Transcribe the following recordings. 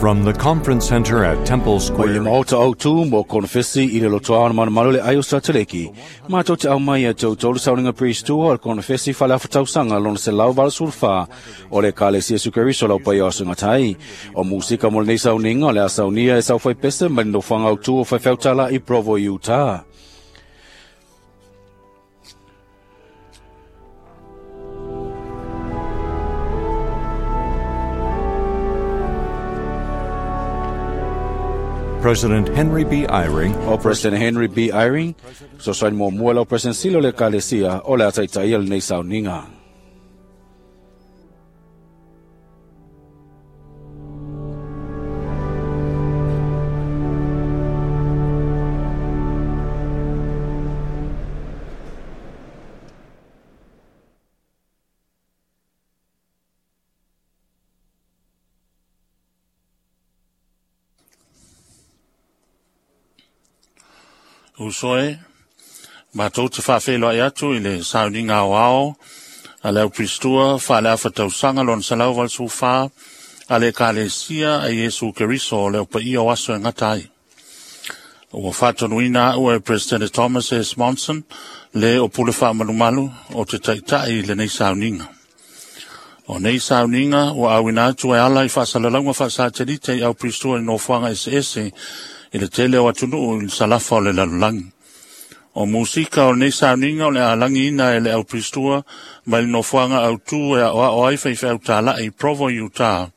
From the Conference Center at Temple Mai Square. le maota autu mo konofesi i le lotoa o malumalu le ai o Sateleki. Mātou te au mai e tau tolu sauninga priestua o le konofesi whale awhatausanga lona se lau vala sulfa o le kale sia sukeriso lau pai o sungatai. O musika mo lenei sauninga o le a saunia e sau pese mai no whanga autu o whaiwhautala i Provo, Utah. President Henry B. Eyring, O President Henry B. Eyring, so sain mo mua lau President Silo le kalesia o le ataitai o lenei sauninga. Uso e, matou te faafeiloai atu i le sauniga aoao a le aupiristua faaleafatausaga lona 184 a le Ekalesia a Iesu Keriso o le aupaia o aso e gata ai. Ua faatonuina a'u e President Thomas S. Monson le o pule faamalumalu o te taʻitaʻi i lenei sauniga. O nei sauniga ua auina atu e ala i faasalalauga faasatelite i aupiristua i nofoaga eseese i le tele o atunuu i le salafa o le lalolagi. O musika o lenei sauniga o le alagiina e le aupiristua mai le nofoaga autū e aʻoaʻo ai faifeau i Provo, Utah,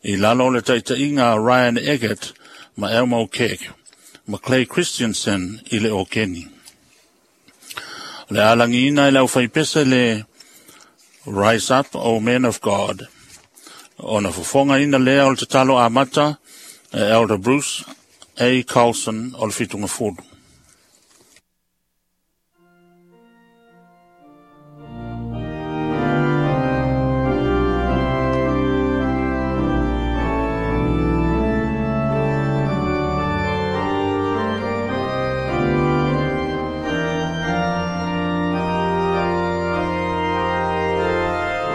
i lalo o le taʻitaʻiga a Ryan Eggert ma Elmo Keck ma Clay Christensen i le okeni. O le alagiina e le aufaipese le Rise Up, O Men of God. Ona fofogaina lea o le tatalo amata e Elder Bruce A. Carlson o le Fitugafulu.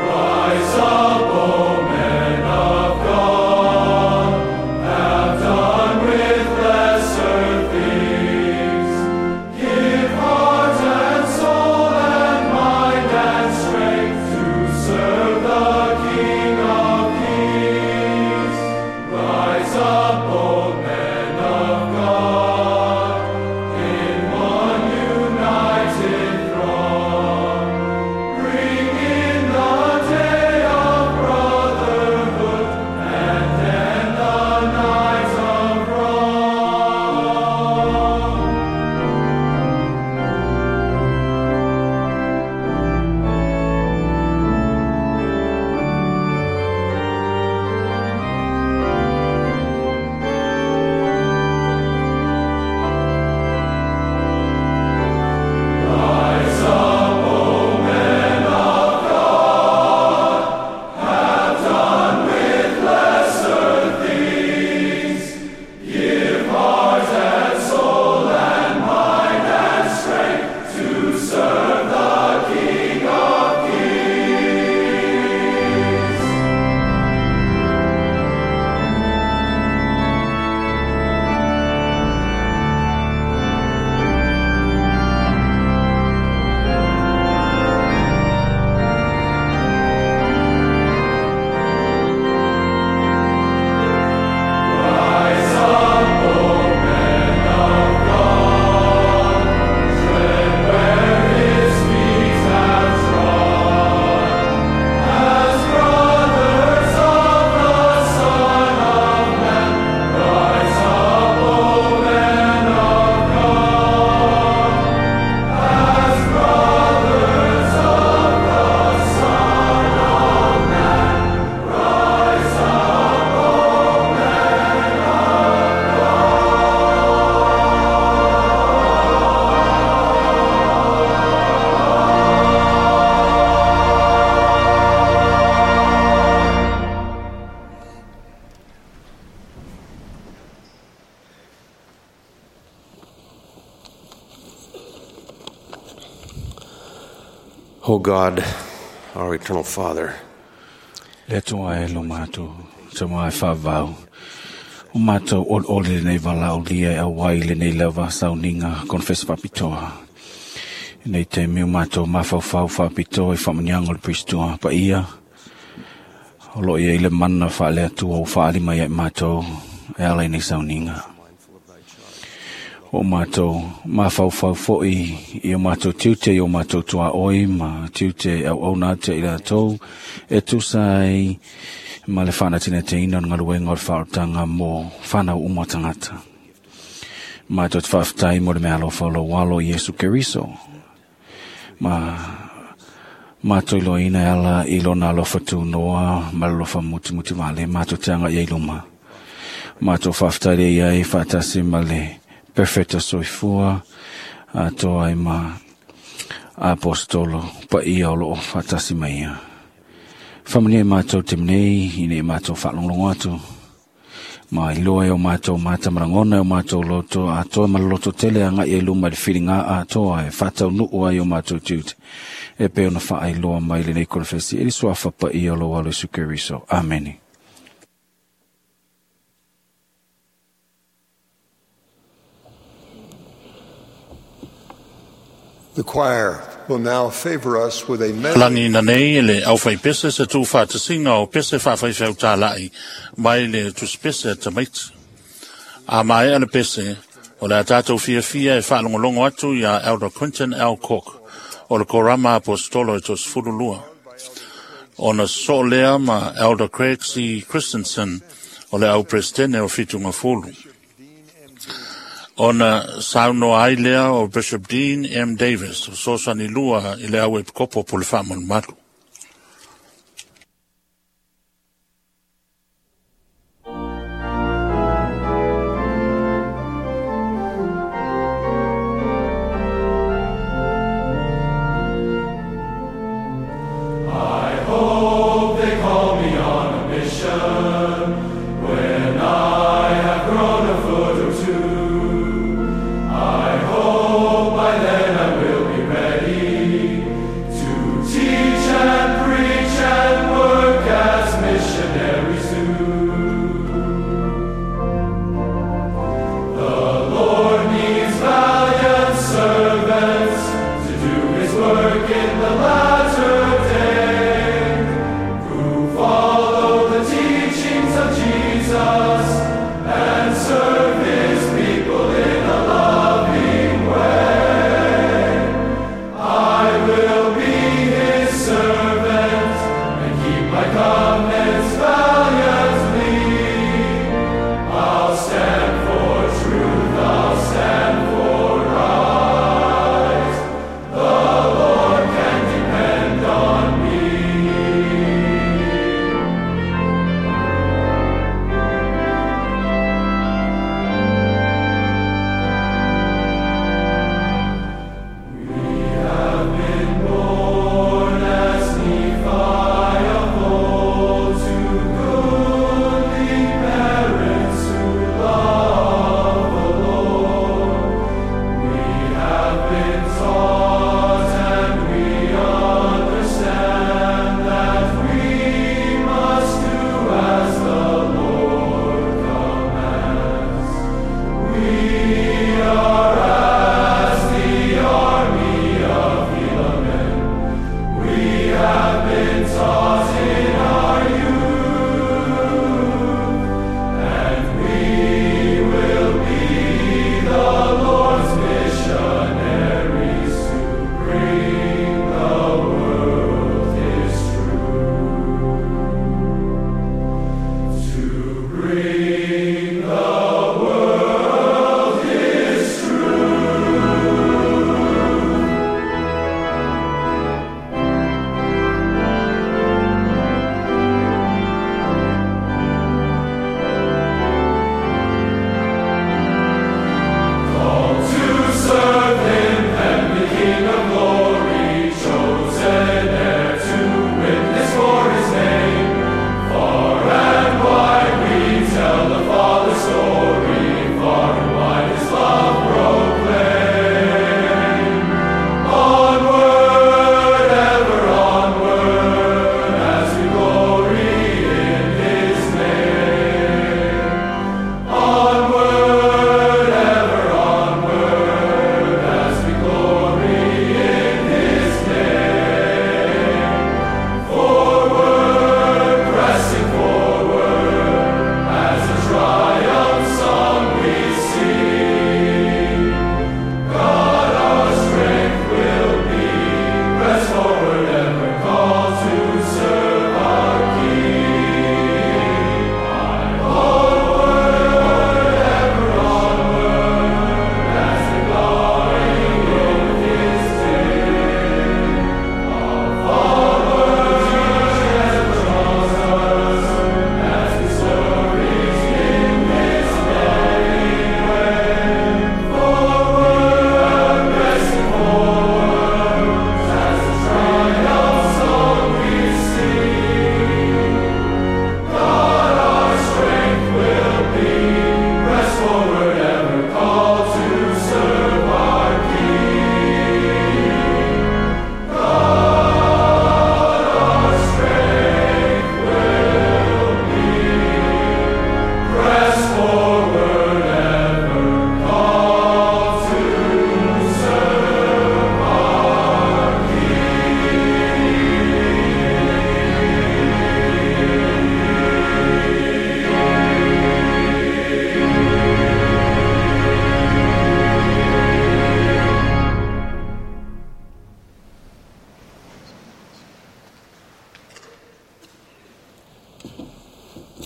Rise up, O men of God, have done with lesser things. Give heart and soul and mind and strength to serve the King of Kings. Rise up, O men of God, in one united throng. Bring in the day of brotherhood and end the night of wrong. Rise up, O men of God, have done with lesser things. Give heart and soul and mind and strength to serve the King of Kings. Rise up, O men of God, tread where his feet have trod. As brothers of the Son of Man, rise up, O men of God. As brothers of the Son of Man, rise up, O men of O God, our eternal Father, Le atua e lo mātou, te mai whāvau. O mātou ol ole lenei valaaulia e auai lenei lava sauniga konefesi faapitoa. Nei taimi o mātou mafaufau faapitoa i faamanuiaga o le Priestua paia. O loo i ai le mana faale-Atua ua faalima ia i mātou e ala i nei sauniga. O mātou mafaufau foi i o mātou tiute i o mātou tuaoi ma tiute e auauna atu i latou e tusa ai ma le faanatinatinaina o le galuega o le faaolataga mo fanau uma o tagata. Mātou te faafetai mo le meaalofa o lou alo Iesu Keriso. Ma mātou iloaina e ala i lona alofa tunoa ma le alofa mutimuti vale mātou te aga i ai luma. Mātou faafetai lea i ai faatasi ma le perfecta soifua atoa ai ma apostolo paia o loo faatasi mai ia. Faamanuia i mātou te nei ina i mātou faalogologo atu. Ma iloa e o mātou mata ma lagona e o mātou loto atoa ma le loto tele agai ai luma i le filiga atoa e faataunuu ai o mātou tiute. E pei ona faailoa mai lenei konefesi i le suafa paia o lou alo Iesu Keriso. Amene. The choir will now favor us with a medley. Lagi na nei e le aufaipese se tuufaatasiga o pese faafaifeautālaʻi mai le tusipese a tamaiti. A maea le pese, o le a tatou fiafia e faalogologo atu iā Elder Quentin L. Cook o le Korama Aposetolo e 32. Ona sosoo lea ma Elder Craig C. Christensen o le au Peresetene o Fitugafulu. Ona saunoa ai lea o Bishop Dean M. Davis, o fesoasoani lua i le au epikopo po le faamalumalu. I hope they call me on a mission when I have grown a foot or two. I hope by then I will be ready to teach and preach and work as missionaries do. The Lord needs valiant servants to do His work in the latter day, who follow the teachings of Jesus and serve His people in a loving way. I will be His servant and keep my covenants valiantly. I'll stand for truth, I'll stand for right. The Lord can depend on me. We have been born as Nephi of old to goodly parents who love the Lord. We have been taught and we understand that we must do as the Lord commands. We are as the army of Helaman. We have been taught in our youth, and we will be the Lord's missionaries to bring the world His truth. To bring the world His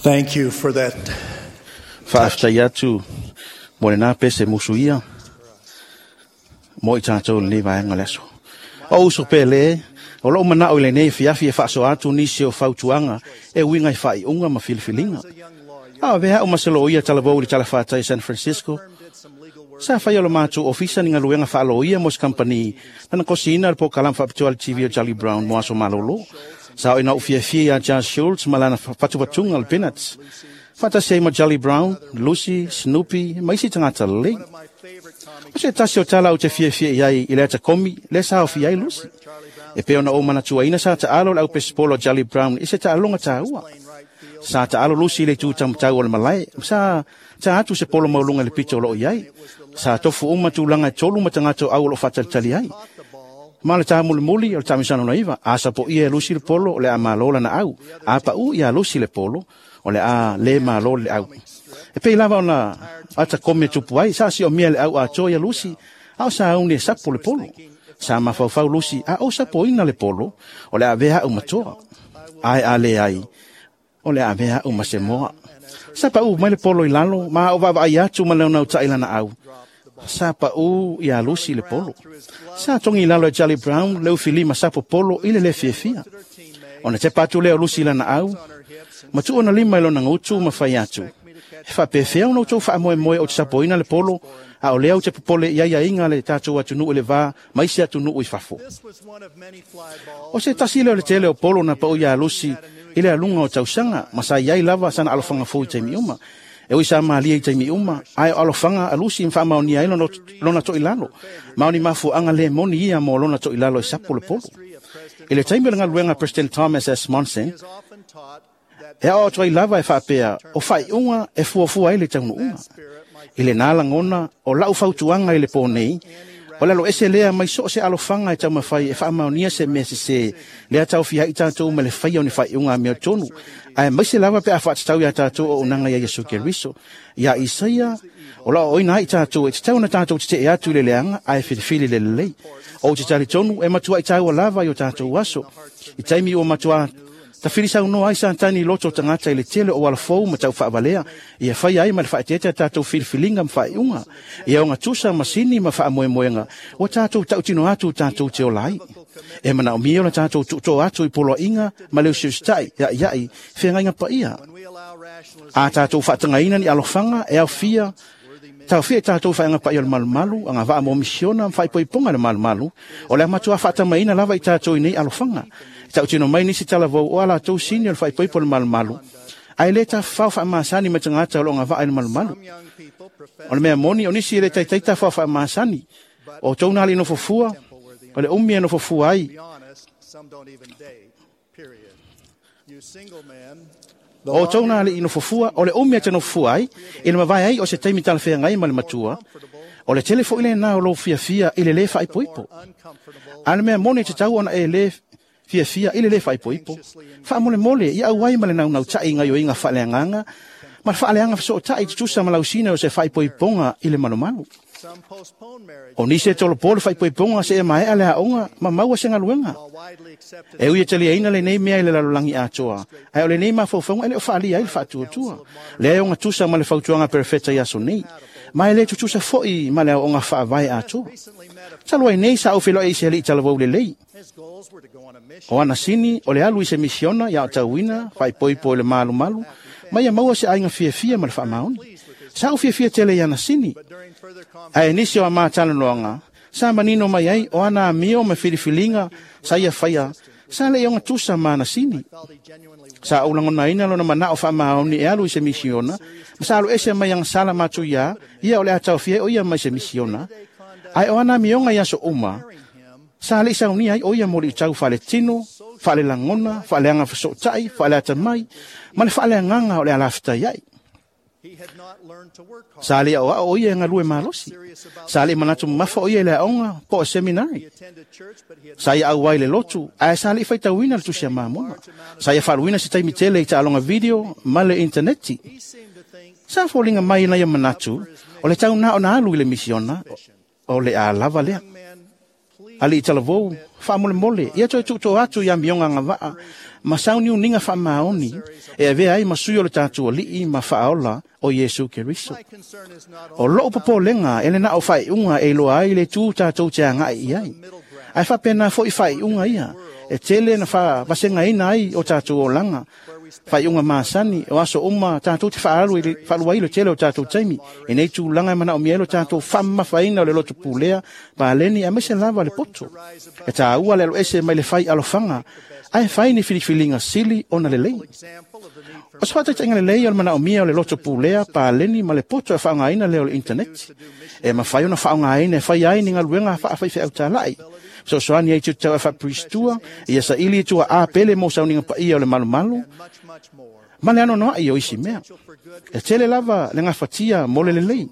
Thank you for that. Faafetai atu mo lenā pese musuia mo i tatou lenei vaega o le aso. O uso pele, o lou manao i lenei afiafi e faasoa atu nisi o fautuaga e uiga i faaiuga ma filifiliga. A o avea au ma se loia talavou i le talafatai San Francisco, sa faia o le matou ofisa ni galuega faaloia mo se kamupani na kosiina le polokalame faapitoa le TV o Charlie Brown mo aso malolo. Sa oo ina ou fiafia ia Charles Schulz ma lana fatufatuga o le Peanuts. Faatasi ai ma Charlie Brown, Lucy, Snoopy ma isi tagata lelei. O se tasi o tala ou te fiafia i ai i le atakomi lea sa aofia ai Lucy. E pei ona ou manatuaina sa taalo le aupesipolo a Charlie Brown i se taaloga taua. Sa taalo Lucy i le itu taumatau o le malae, ma sa ta atu se polo maualuga i le pito o loo i ai. Sa tofu uma tulaga e tolu ma tagata o au o loo faatalitali ai. Ma le tāmulimuli o le taamilosaga lona iva, a sapoia e Lucy le polo o le a malo lana au, a paʻu iā Lucy le polo, o le a lē malo le au. E pei lava ona atakomi e tupu ai, sa siomia le au atoa ia Lucy, a o sauni e sapo le polo. Sa mafaufau Lucy, a ou sapoina le polo, o le a avea au ma toa. Ae a leai, o le a avea au ma se moa. Sa paʻu mai le polo i lalo, ma o vaavaai atu ma le nautaʻi lana au. Sa paʻu iā Lucy le polo. Sa togi i lalo e Charlie Brown le ufilima sapo polo i le lē fiafia. Ona tepa atu lea o Lucy i lana au, ma tuu ona lima i lona gutu ma fai atu. E faapefea ona outou faamoemoe ou te sapoina le polo, a o lea ou te popole i aiaiga a le tatou atunuu i le va ma isi atunuu i fafo. O se tasi lea o le tele o polo na paʻu iā Lucy i le aluga o tausaga, ma sa iai lava sana alofaga fou i taimi uma. E ui sa malie i taimi uma, ae o alofaga a Lucy ma faamaonia ai lona toilalo, ma o ni mafuaaga lē moni ia mo lona toilalo e sapo le polo. I le taimi o le galuega a President Thomas S. Monson, e aoao atu ai lava e faapea o faaiuga e fuafua ai le taunuuga. I lenā lagona o lau fautuaga i le pō nei, o le aloese lea mai so o se alofaga e taumafai e faamaonia se mea sesē lea taofia ai tatou ma le faia o ni faaiuga amiotonu, ae maise lava pe a faatatau iā tatou auaunaga ia Iesu Keriso. Iā Isaia, o lo o aoaoina ai tatou e tatau ona tatou tetee atu i le leaga ae filifili le lelei. Ou te talitonu e matuai taua lava i o tatou aso. I taimi ua matuā tafilisaunoa ai Satani i loto o tagata i le tele o auala fou ma taufaavalea, ia faia ai ma le faaeteete a tatou filifiliga ma faaiuga. Ia ogatusa masini ma faamoemoega ua tatou tautino atu tatou te ola ai. E manaomia ona tatou tuutoa atu i poloaiga ma le usiusitai iaʻiaʻi feagaiga paia. A tatou faatagaina ni alofaga e aofia taofia i tatou faaiuga paia o le malumalu, agavaa mo misiona ma faaipoipoga i le malumalu, o le a matua faatamaina lava i tatou i nei alofaga. E tautino mai nisi talavou o a latou sini o le faaipoipo o le malumalu, ae lē tafafao faamasani ma tagata o lo o agavaa i le malumalu. O le mea moni, o nisi e le taitai tafafao faamasani. O outou na alii nofofua, o le umi e nofofua ai. O outou na alii nofofua, o le umi e te nofofua ai, i le mavae ai o se taimi talafeagai ma le matua, o le tele foi lenā o lou fiafia i le lē faaipoipo. A o le mea moni e tatau ona e lē fiafia i le lē faaipoipo. Faamolemole ia auai ma le naunautaʻi i gaoioiga faaleagaga ma le faaleaga fesootaʻi tutusa ma lausina o se faaipoipoga i le malumalu. O nisi e tolopo le faaipoipoga seia maea le aoga ma maua se galuega. E ui e taliaina lenei mea i le lalolagi atoa, ae o lenei mafaufauga e le o faaalia ai le faatuatua. Lea e ogatusa ma le fautuaga a perofeta i aso nei, ma e le tutusa foi ma le aoaoga faavae atoa. Talu ai nei sa ou feiloai i se alii talavou lelei. O ana sini o le alu i se misiona ia aotauina, faaipoipo i le malumalu, ma ia maua se aiga fiafia ma le faamaoni. Sa ou fiafia tele i ana sini. Ae nisi o a ma talanoaga, sa manino mai ai o ana amio ma filifiliga sa ia faia, sa le i ogatusa ma ana sini. Sa ou lagonaina lona manao faamaoni e alu i se misiona, ma sa aluese mai agasala matou iā ia o le a taofia ai o ia mai se misiona, ae o ana amioga i aso uma, sa le i saunia ai o ia moliʻitau faaletino, faalelagona, faaleaga fesootaʻi, faaleatamai, ma le faaleagaga o le alafetai ai. Sa le i aoao o ia e galue malosi. Sa le i manatu mamafa o ia i le aoga po o seminari. Sa ia auai i le lotu, ae sa le i faitauina le tusi a Mamona. Sa ia faaluina se taimi tele i taaloga video ma le intaneti. Sa foliga mai i na ia manatu, o le tau na ona alu i le misiona, o le a lava lea. Ali'i talavou, faamolemole, ia toe tuutoa atu i amioga agavaa ma sauniuniga faamaoni e avea ai ma sui o le tatou Alii ma Faaola o Iesu Keriso. O lou popolega e le na o faaiuga e iloa ai le itu tatou te agai i ai, ae faapena foi faaiuga ia e tele na faavasegaina ai o tatou olaga, faaiuga masani o aso uma tatou te faalu ai le tele o tatou taimi i nei tulaga e manaomia ai lo tatou faamamafaina o le loto pulea, paleni aemaise lava le poto. E taua le aloese mai le fai alofaga ae fai ni filifiliga sili ona lelei. O se faataitaiga lelei o le manaomia o le loto pulea, paleni ma le poto e faaaogaina lea o le initaneti. E mafai ona faaaogaina e fai ai ni galuega faafaifeau talai. Fesoasoani ai tiute tau faapiristua, ia saili i tuaa pele mo sauniga paia o le malumalu, ma le anoanoai o isi mea. E tele lava le gafatia mo le lelei.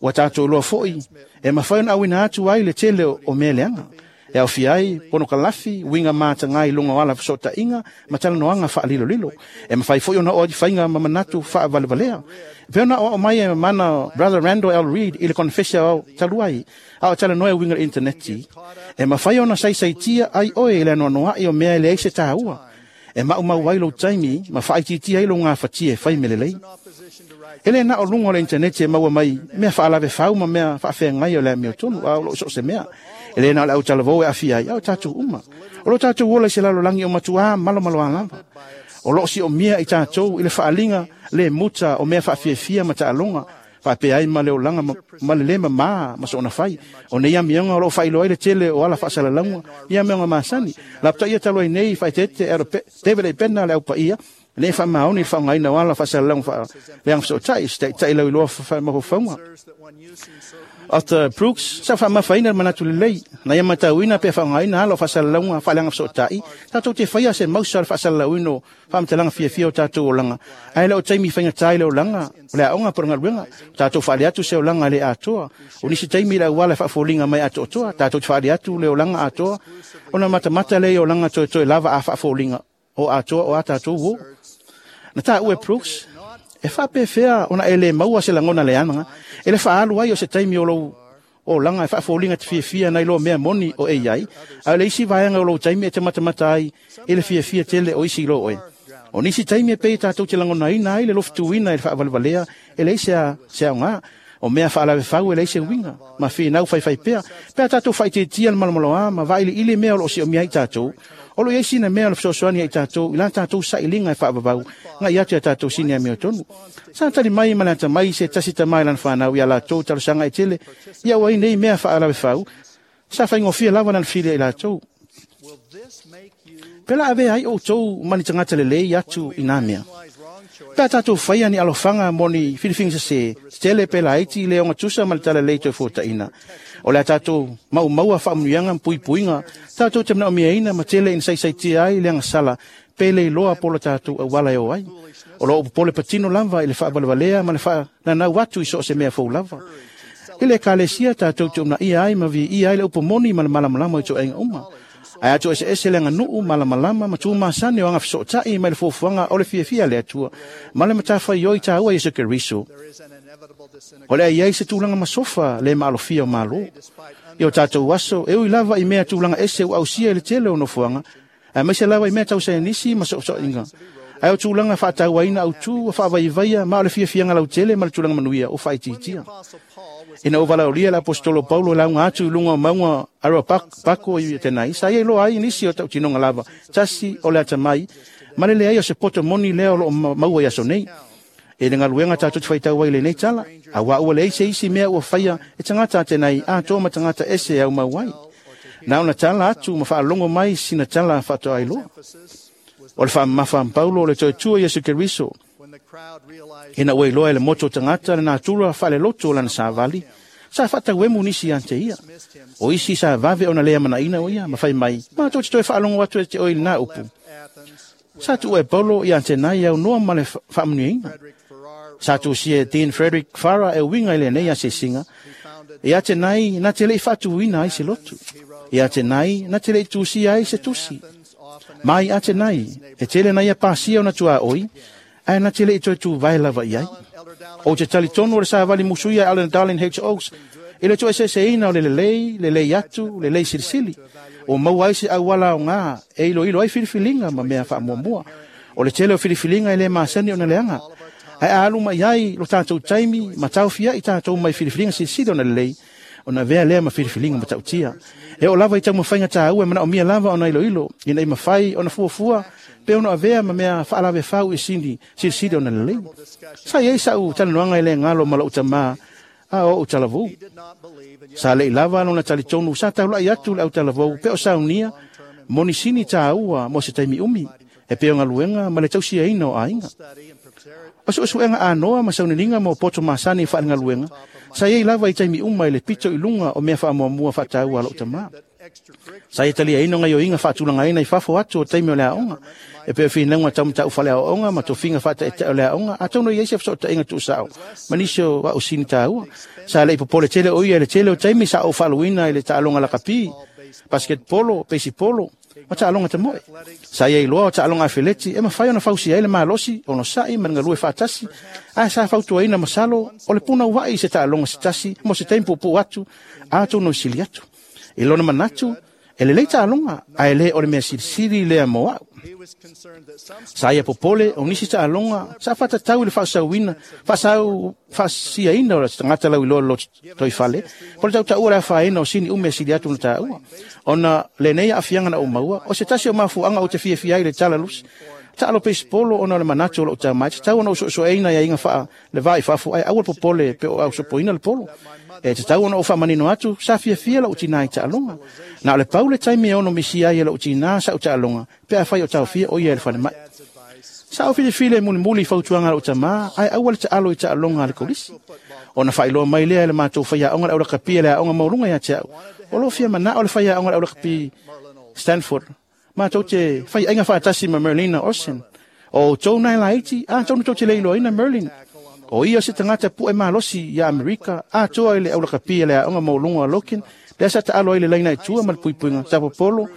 Ua tatou iloa foi e mafai ona auina atu ai le tele o mea leaga. E aofia ai ponokalafi, uiga mataga i luga o ala fesootaiga ma talanoaga faalilolilo. E mafai foi ona oo i faiga ma manatu faavalevalea. E pei ona aoao mai e mana Brother Randall L. Reed i le konefesi ao talu ai, a o talanoa e uiga i le initaneti, e mafai ona saisaitia ai oe i le anoanoai o mea e leai se taua. E maumau ai lou taimi ma faaitiitia ai lou gafatia e fai mea lelei. E le na o luga o le initaneti e maua mai mea faalavefau ma mea faafeagai o le amiotonu, a o loo so o se mea. E le na o le autalavou e aafia ai, a o tatou uma. O lo tatou ola i se lalolagi o matuā malomaloa lava. O loo siomia i tatou i le faaliga le muta o mea faafiafia ma taaloga, faapea ai ma le olaga ma le le mamā ma soona fai. O nei amioga o loo faailoa ai le tele o ala faasalalauga i amioga masani. Lapataia talu ai nei faaeteete David A. Bednar le aupaia, nei faamaoni i le faaaogaina o ala faasalalauga faaleaga fesootai, se taitai lauiloa faamafaufauga. Arthur Brooks sa faamafaina le manatu lelei, na ia matauina pe faaaogaina ala o faasalalauga faaleaga fesootai, tatou te faia se mausa o le faasalalauina o faamatalaga fiafia o tatou olaga. Ae le o taimi faigata i le olaga, o le aoga po o le galuega, tatou faale atu se olaga le atoa. O nisi taimi i le auala e faafoliga mai atoatoa, tatou te faale atu le olaga atoa, ona matamata le olaga toetoe lava a faafoliga o atoa o a tatou uo. Na taua e Brooks, e faapefea ona e le maua se lagona leaga, e le faaalu ai o se taimi o lou olaga e faafoliga te fiafia nai loa mea moni o e iai, a o le isi vaega o lou taimi e te matamata ai i le fiafia tele o isi i lo oe. O nisi taimi e pei tatou te lagonaina ai le lofituina i le faavalevalea e leai se aoga. O mea faalavefau e leai se uiga, ma finau faifai pea. Pe a tatou faaitiitia le malomaloa ma vailiili mea o loo siomia ai tatou, o lo i ai sina mea o le fesoasoani ai tatou i la tatou sailiga e faavavau ngai atu ia tatou sini amiotonu. Sa tali mai ma le atamai se tasi tama i lana fanau ia latou talosaga e tele, ia ua ai nei mea faalavefau, sa faigofie lava lana fesili ai latou. Pe la avea ai outou ma ni tagata lelei atu i nā mea. Pe a tatou faia ni alofaga mo ni filifiga sesē, tetele pe laiti le ogatusa ma le talalelei toe fuataʻina. O le a tatou maumaua faamanuiaga ma puipuiga, tatou te manaomiaina ma tele ina saisaitia ai le agasala pe le iloa po o le tatou auala e o ai. O loo popole patino lava i le faavalevalea ma le faananau atu i so o se mea fou lava. I le ekalesia tatou te uunaia ai ma viia ai le upu moni ma le malamalama i toaiga uma. Ae atu eseese le aganuu, malamalama ma tumasani o aga fesootai mai le fuafuaga o le fiafia a le Atua ma le matafaioi taua Iesu Keriso. O le a i ai se tulaga masofa le maalofia o Malo. I o tatou aso, e ui lava i mea tulaga ese ua ausia i le tele o nofoaga, aemaise lava i mea tau saienisi ma soosooiga. Ae o tulaga faatauaina autū ua faavaivaia ma o le fiafiaga lautele ma le tulaga manuia ua faaitiitia. Ina ua valaaulia le aposetolo Paulo e lauga atu i luga o mauga Areopago i Atenai, sa ia iloa ai nisi o tautinoga lava, tasi o le atamai, ma le leai o se poto moni lea o loo maua i aso nei. E le galuega tatou te faitau ai i lenei tala, auā ua leai se isi mea ua faia e tagata Atenai atoa ma tagata ese e aumau ai. Na ona tala atu ma faalogo mai sina tala faatoa iloa. O le faamamafa a Paulo o le toe tua Iesu Keriso. Ina ua iloa e le motu o tagata le natura faalelotu o lana savali, sa faatauemu nisi ia te ia. O isi sa vave ona le amanaina o ia, ma fai mai, matou te toe faalogo atu e te oe i lena upu. Sa tuua e Paulo ia Atenai aunoa ma le faamanuiaina. Sa tusia e Dean Frederick Farrar e uiga i lenei asiasiga, ia Atenai na te lei faatuina ai se lotu. Ia Atenai na te lei tusia ai se tusi. Mai Atenai, e tele na ia pasia ona tuaoi, ae na te lei toe tuvae lava i ai. O te talitonu o le savali musuia Alan Darling H. Oaks, I le tuueseeseina o le lelei, lelei atu, lelei silisili. Ua maua ai se auala aoga e iloilo ai filifiliga ma mea faamuamua. O le tele o filifiliga e le masani ona leaga. Ae a alu mai ai lo tatou taimi ma taofiai tatou mai filifiliga silisili ona lelei, ona avea lea ma filifiliga matautia. E oo lava i taumafaiga taua e manaomia lava ona iloilo, ina ia mafai ona fuafua pe ono avea ma mea faalavefau i sini silisili ona lelei. Sa i ai sa'u talanoaga e le galo ma lou tamā a o ou talavou. Sa le'i lava lona talitonu sa taula'i atu le autalavou pe o saunia mo nisini tāua mo se taimi umi, e pei o galuega ma le tausiaina o aiga. O su'esu'ega anoa ma sauniga mo poto masani faalegaluega, sa iai lava i taimi uma i le pito i luga o mea faamuamua faataua a lou tamā. Sa ia taliaina o gaioiga faatulagaina i fafo atu o taimi o le aoga, e pei o finauga taumatau faleaoaoga ma tofiga faataetae o le aoga, atonu e i ai se fesootaiga tuusao ma nisi o ausini taua. Sa le'i popole tele o ia i le tele o taimi sa ou faaluina i le taaloga lakapi, basketball, baseball ma taaloga tamoe. Sa ia iloa o taaloga afeleti e mafai ona fausia ai le malosi, onosa'i ma le galue faatasi, ae sa fautuaina masalo o le punoua'i i se taaloga se tasi mo se taimi puupuu atu, atonu e sili atu. I lona manatu, e lelei taaloga, ae le o le mea silisili lea mo a'u. Sa ia popole o nisi taaloga sa faatatau i le faasauina faasau faasiaina o le tagata lauiloa lotoifale, po le tautaua le afaina o sini umi e sili atu na taua. Ona lenei aafiaga na ou maua, o se tasi o mafuaaga ou te fiafia ai i le talalusi taalo peisipolo, ona o le manatu o lou tamā e tatau ona ou soesoeina aiaiga faa le va i fafo, ae aua le popole pe o ausopoina le polo. E tatau ona ou faamanino atu, sa fiafia lou tinā i taaloga. Na o le pau le taimi e ono misia ai e lou tinā sa'u taaloga, pe afai o taofia o ia e le falemai. Sa ou filifili e mulimuli i fautuaga a lou tamā, ae aua le taalo i taaloga a le kolisi. Ona faailoa mai lea e le matou faiaoga le aulakapi e le aoga maualuga ia te a'u, o loo fia manao le faiaoga le aulakapi Stanford matou te faiaiga faatasi ma Merlina Olsen. O outou nae laiti, atonu tou te le iloaina Merlin. O ia o se tagata pu'e malosi ia Amerika atoa i le aulakapi e le aoga maualuga o Loken, lea sa taalo ai le laina i tua ma le puipuiga tapopolo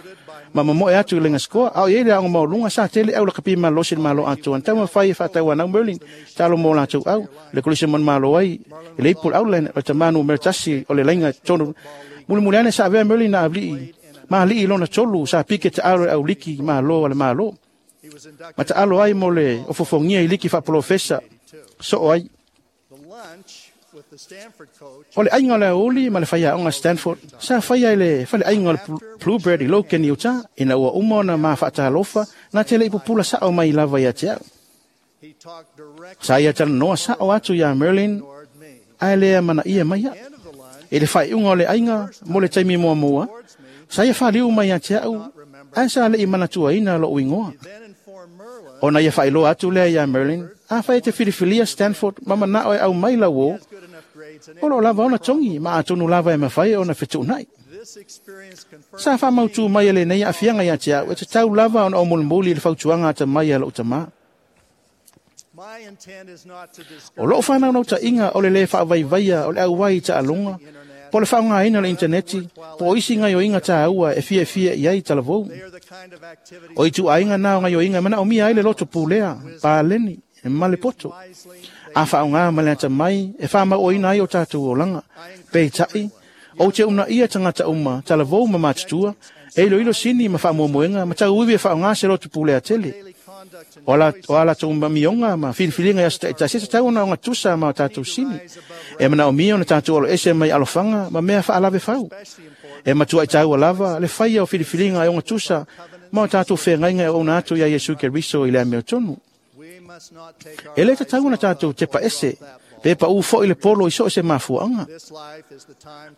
ma mamoe atu i le laina sikoa. A o iai le aoga maualuga, sa tele aulakapi malosi le Malo atoa na taumafai e faatauanau Merlin taalo mo latou au le kolisi manumalo ai i le ipu o le Outland o le tamā numera 1 o le laina tonu. Mulimuli ane sa avea Merlin na avili'i ma ali'i lona tolu sa pike taalo i le auliki malo a le Malo ma taalo ai mo le ofofogia i liki faapolofesa soo ai. O le aiga o le aouli ma le faiaoga Stanford sa faia i le faleaiga o le Bluebird i Logan, Utah, ina ua uma ona mafaatalofa na te le'i pupula sa'o mai lava ia te a'u. Sa ia talanoa sa'o atu iā Merlin, ae lea manaia mai a'u. I le faaiuga o le aiga mo le taimi muamua, sa ia faliu mai ia te a'u, ae sa le'i manatuaina lo'u igoa. Ona ia faailoa atu lea iā Merlin, afai e te filifilia Stanford ma mana'o e aumai lauō, o loo lava ona togi ma atonu lava e mafai ona fetu'una'i. Sa faamautū mai e lenei aafiaga ia te a'u e tatau lava ona ou mulimuli i le fautuaga atamai a lo'u tamā. O lo'u fanaunauta'iga o le lē faavaivaia o le auai i taaloga, po o le faaaogāina o le initaneti, po o isi gaioiga tāua e fiafia i ai talavou. O ituaiga na o gaioiga e manaomia ai le loto pulea, paleni ma le poto a faaaogā ma le atamai e faamauoina ai o tatou olaga. Peita'i, ou te unaia tagata uma, talavou ma matutua, e iloilo sini ma faamoemoega ma tauivi e faaaogā se loto pulea tele. O a latou amioga ma filifiliga i aso ta'itasi e tatau ona ogatusa ma o tatou sini. E manaomia ona tatou aloese mai alofaga ma mea faalavefau. E matua'i taua lava le faia o filifiliga e ogatusa ma o tatou feagaiga e ouna atu iā Iesu Keriso i le amiotonu. E lē tatau ona tatou tepa ese pe paʻū fo'i le polo i so o se mafuaaga.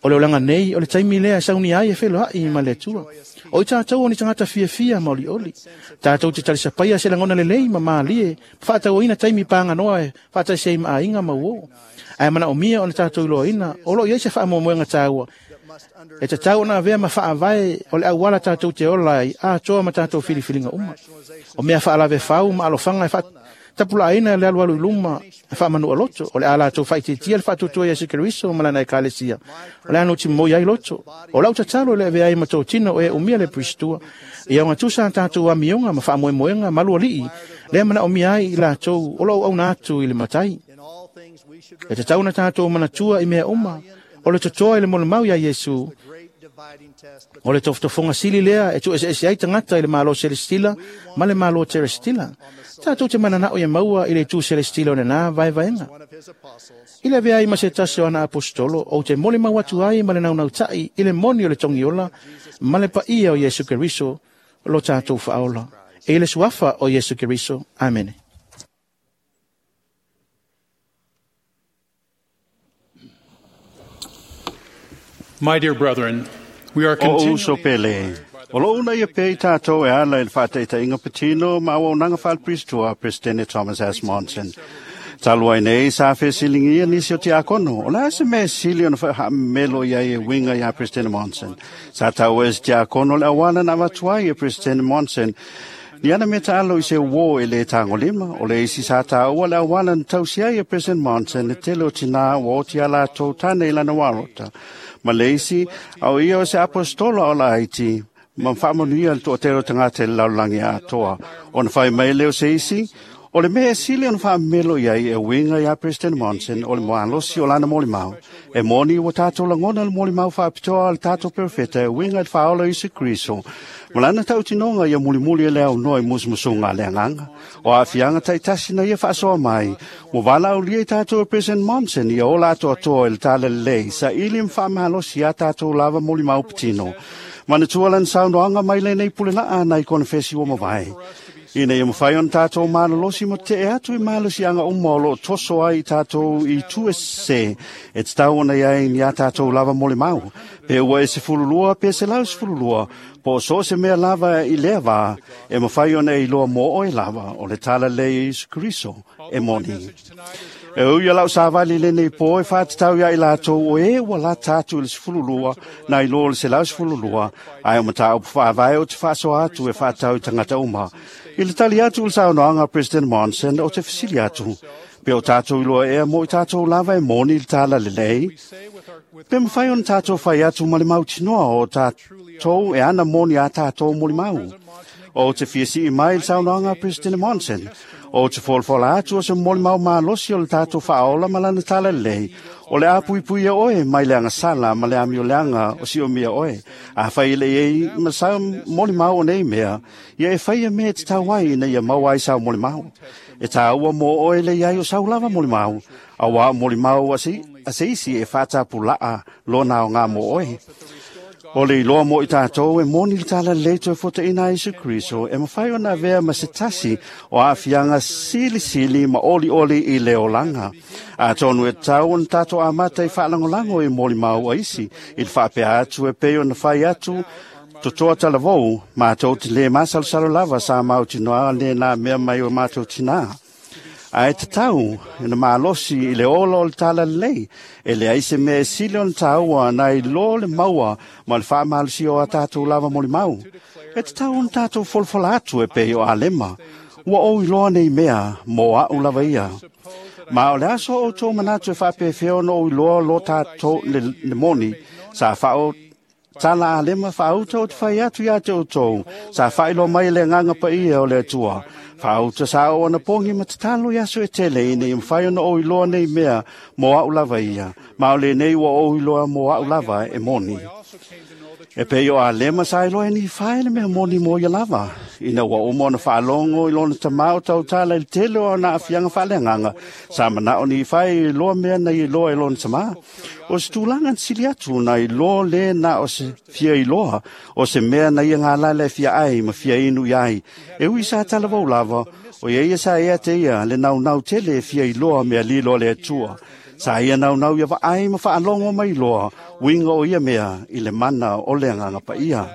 O le olaga nei o le taimi lea e saunia ai e feloa'i ma le Atua. O i tatou o ni tagata fiafia ma olioli. Tatou te talisapaia se lagona lelei ma malie, faatauaina taimi paganoa e faatasi ai ma aiga ma uō. Ae manaomia ona tatou iloaina o loo i ai se faamoemoega taua e tatau ona avea ma faavae o le auala tatou te ola ai atoa ma tatou filifiliga uma. O mea faalavefau ma alofaga e faatapulaaina le alualu i luma e faamanu'a loto, o le a latou faaitiitia le faatuatua ia Iesu Keriso ma lana Ekalesia, o le a nutimoi ai loto. O lau tatalo i le avea ai ma totino o e umia le puisitua, ia ogatusa a tatou amioga ma faamoemoega maluali'i lea manaomia ai i latou o loo auauna atu i le Matai. E tatau ona tatou manatua i mea uma O le totoa i le molimau ia Iesu, o le tofotofoga sili lea e tuueseese ai tagata i le malo selestila ma le malo terestila. Tatou te mananao ia maua i le itu selestila o lenā vaevaega. I le avea ai ma se tasi o ana aposetolo, ou te molimau atu ai ma le naunautai i le moni o le togiola ma le paia o Iesu Keriso lo tatou faaola. E i le suafa o Iesu Keriso. Amene. My dear brethren, we are O uso continually pele. O lo una ia pei tātou e ala i le whāteita patino ma au nanga whaal Presidente Thomas S. Monson. Talu ai nei sa fesilingia nisi o tiakono. O la se me sili ona wha melo ia e winga ia President Monson. Sa tau es tiakono le awana na watuai e President Monson. Ni ana me taalo i se wo e le tangolima, o le isi sa tāua le awana na tausia i e President Monson e tele o tina o o tia la tau tane i lana warota. Ma le isi, au ia o se apostolo o la haiti, ma whaamanuia le toatero tangata i le laularangi atoa. Ona whai mai leo se isi, o le mea e sili ona whaamelo iai e winga ia President Monson o le moalosi o lana molimau. E moni ua tātou langona le molimau whaapitoa le tātou perfeta e winga i le whaola Isu Kriso. Ma lana tautinoga ia mulimuli e le au noa i musumusunga le anganga. O aafiaga taitasi na ia faasoa mai. Ua valaaulia i tātou e President Monson ia ola atoatoa i le talalelei sa ili ma faamalosi ia tātou lava molimau patino. Manatua lana saunoaga mai lenei pulelaa nai konefesi ua mavae. Ina ia mawhai ona tātou malolosi mo te e atu i malosiaga uma o loo toso ai i tātou i tu e se e te tau ona iai ni a tātou lava molimau. Pe ua e 12 pe 112 po o so se mea lava i lea vā e mawhai ona e iloa mō oe lava o le tala lei e Isu Keriso e moni. E ui a lau savali lenei po e whātatau ia i lātou o e ua la tātou i le 12 na i loa le 112 ai o matau whaavae o te whaasoa atu e whātau i tangata uma. I le tali atu le saunoaga President Monson o te fesili atu. Pe o tātou iloa ea mo i tātou lava e moni i le tala lelei. Pe mawhai ona tātou whai atu ma le mautinoa o tātou e ana moni a tātou molimau. O te fiasi i mai le saunoaga President Monson. O te folafola atu o se molimau malosi o le tātou whaola ma lana tala lelei. O le apuipui e oe mai le agasala ma le amioleaga o si o mia oe. A whai le ei ma sa molimau o nei mea, ia e whai e mea te tau ai ina ia mau ai sau molimau. E tāua mō oe le iai o sau lava molimau. A wā molimau a se isi e whātapulaa lona o ngā mō oe. O le iloa mo i tātou e moni le tala leito e fota ina Isu Kriso e mawhai ona vea ma se tasi o aafiaga silisili ma oli oli i le olanga. A tonu e tau ona tātou amata i whaalangolango i molimau a isi i le whaapea atu e pei ona whai atu totoa talavou mātou te le masalosalo lava sa mau tinoa le nā mea mai o mātou tinā. A e te tau, e na malosi i le ola o le tala lelei, e le ai se mea e sili ona tāua na i lo le maua ma le whaamalosi o a tātou lava molimau. E te tau ona tātou folafola atu e pei o alema, ua ou iloa nei mea mō au lava ia. Ma o le aso o tō manatu e whaapewheo ona ou iloa lo tātou le moni, sa whao tala alema whaauta o te whai atu ia te o tōu, sa whailo mai le nganga pa ia o le atua. Whaauta sa o ana pongi ma te talo i aso e tele i nei mwhai ona o iloa nei mea mō au lava ia. Ma o le nei ua o iloa mō au lava e moni. E pei o alema sa iloa e ni whai le mea moni mō ia lava. Ina ua uma ona whaalongo i lona tamau tau tala i le tele o ana afianga whaaleanganga. Sa manao ni whai i loa mea na i loa i lona tamā. O se tūlanga na sili atu na i loa le na o se fia i loa. O se mea na ia ngā lala e fia ai ma fia inu i ai. E ui sa talavau lava. O ia ia sa ea te ia le nau nau tele e fia i loa mea lilo le atua. Sa ia nau nau ia vaai ma whaalongo mai loa. Winga o ia mea i le mana o le anganga pa ia.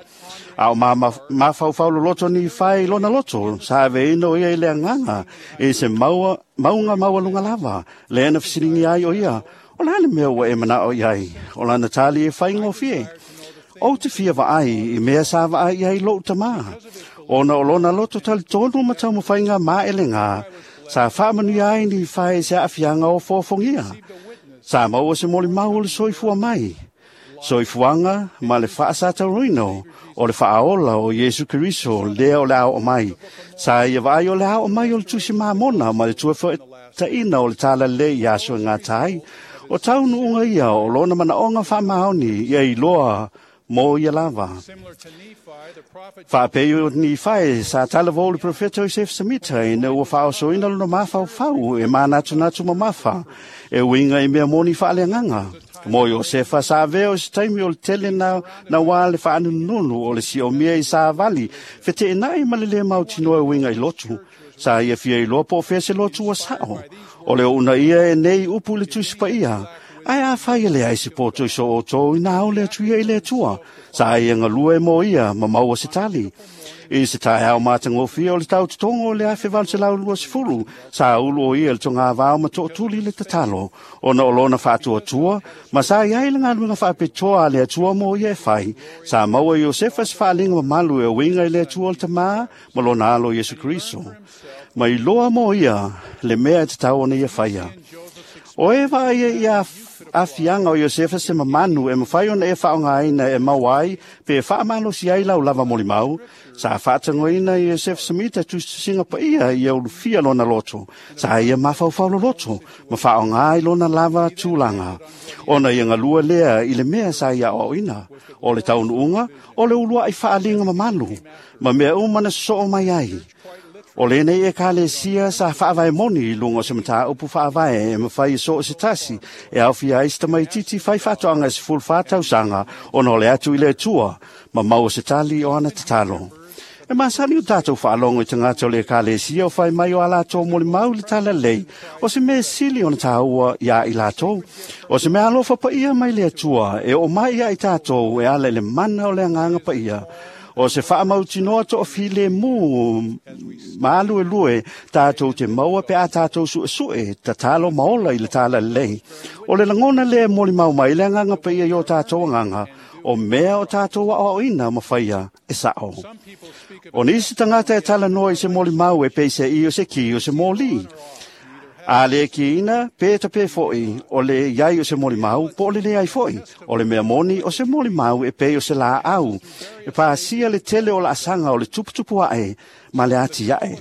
A o mawhauwhau loto ni whai lona loto, sa ave ino ia i le anganga, e se maua, maunga maua lunga lava, le ana fisilingi ai o ia, o lana mea ua e manao i ai, o lana tali e whai ngofie. O te fia vaai, i mea sa vaai i ai lou tamā. Ona o lona loto tali tonu ma tau mawhainga maele ngā, sa whaamanuia ai ni whai se aafiaga o fōfongia. Sa maua se molimau o le soifua mai. Soifuaga ma le faasatauina o le faaola o Iesu Keriso lea o le ao mai. Sa ia vaai o le ao mai o le tusi mamona ma le tuafoetaina o le talalelei i aso e gata ai. O taunuuga ia o lona manaoga faamaoni ia iloa mo ia lava. Faapei o Nifae sa talavou le profeta Iosefo Semita ina ua faaosoina lona mafaufau e manatunatu mamafa e uiga i mea moni faaleagaga. Mo Iosefa sa avea o se taimi o le tele na uā le faanunununu o le siomia i savali feteenai ma le lē mautinoa e uiga i lotu. Sa ia fia iloa po o fea se lotu ua sao. O le ouna ia e nei upu i le Tusi Paia. Ae afai e leai se poto i so outou ina ao le atu ia i le Atua. Sa ia galue mo ia ma maua se tali. I se taeao matagofie o le tautotogo o le 1820, sa ulu o ia le togavao ma tootuli le tatalo, ona o lona faatuatua, ma sa iai le galuega faapitoa a le Atua mo ia e fai. Sa maua e Iosefa se faaliga mamalu e uiga i le Atua o le Tamā ma lona alo Iesu Keriso. Ma iloa mo ia le mea e tatau ona ia faia. O e vaaia i afiaga o Iosefa se mamanu e mafai ona e faaaogaina e maua ai pe faamalosi ai lau lava molimau. Sa faatagoina e Iosefa Semita tusitusiga paia ia ulufia lona loto. Sa ia mafaufau loloto ma faaaoga ai lona lava tulaga. Ona ia galua lea i le mea sa ia aoaoina. O le taunuuga, o le uluai faaliga mamalu, ma mea uma na sosoo mai ai. O lenei ekalesia sa faavae moni i luga o se mataupu faavae e mafai e so o se tasi e aofia ai se tamaititi fai faatoaga e 14 tausaga ona o le atu i le Atua ma maua se tali o ana tatalo. E masani o tatou faalogo i tagata o le ekalesia o fai mai o a latou molimau i le talalelei o se mea sili ona taua iā i latou. O se mea alofa paia mai le Atua e oo mai ia i tatou e ala i le mana o le agaga paia. O se faamautinoa toafilemu ma aluelue tatou te maua pe a tatou suesue tatalo ma ola i le talalelei. O le lagona lea e molimau mai le agaga paia i o tatou agaga, o mea o tatou aoaoina ma faia e sao. O nisi tagata e talanoa i se molimau e pei se i o se ki o se mōlī. A le kiina, pe ta pe foi, o le iai o se molimau, po o le leai foi. O le mea moni o se molimau e pei o se laau. E pasia le tele o laasaga o le tuputupu ae ma le ati ae.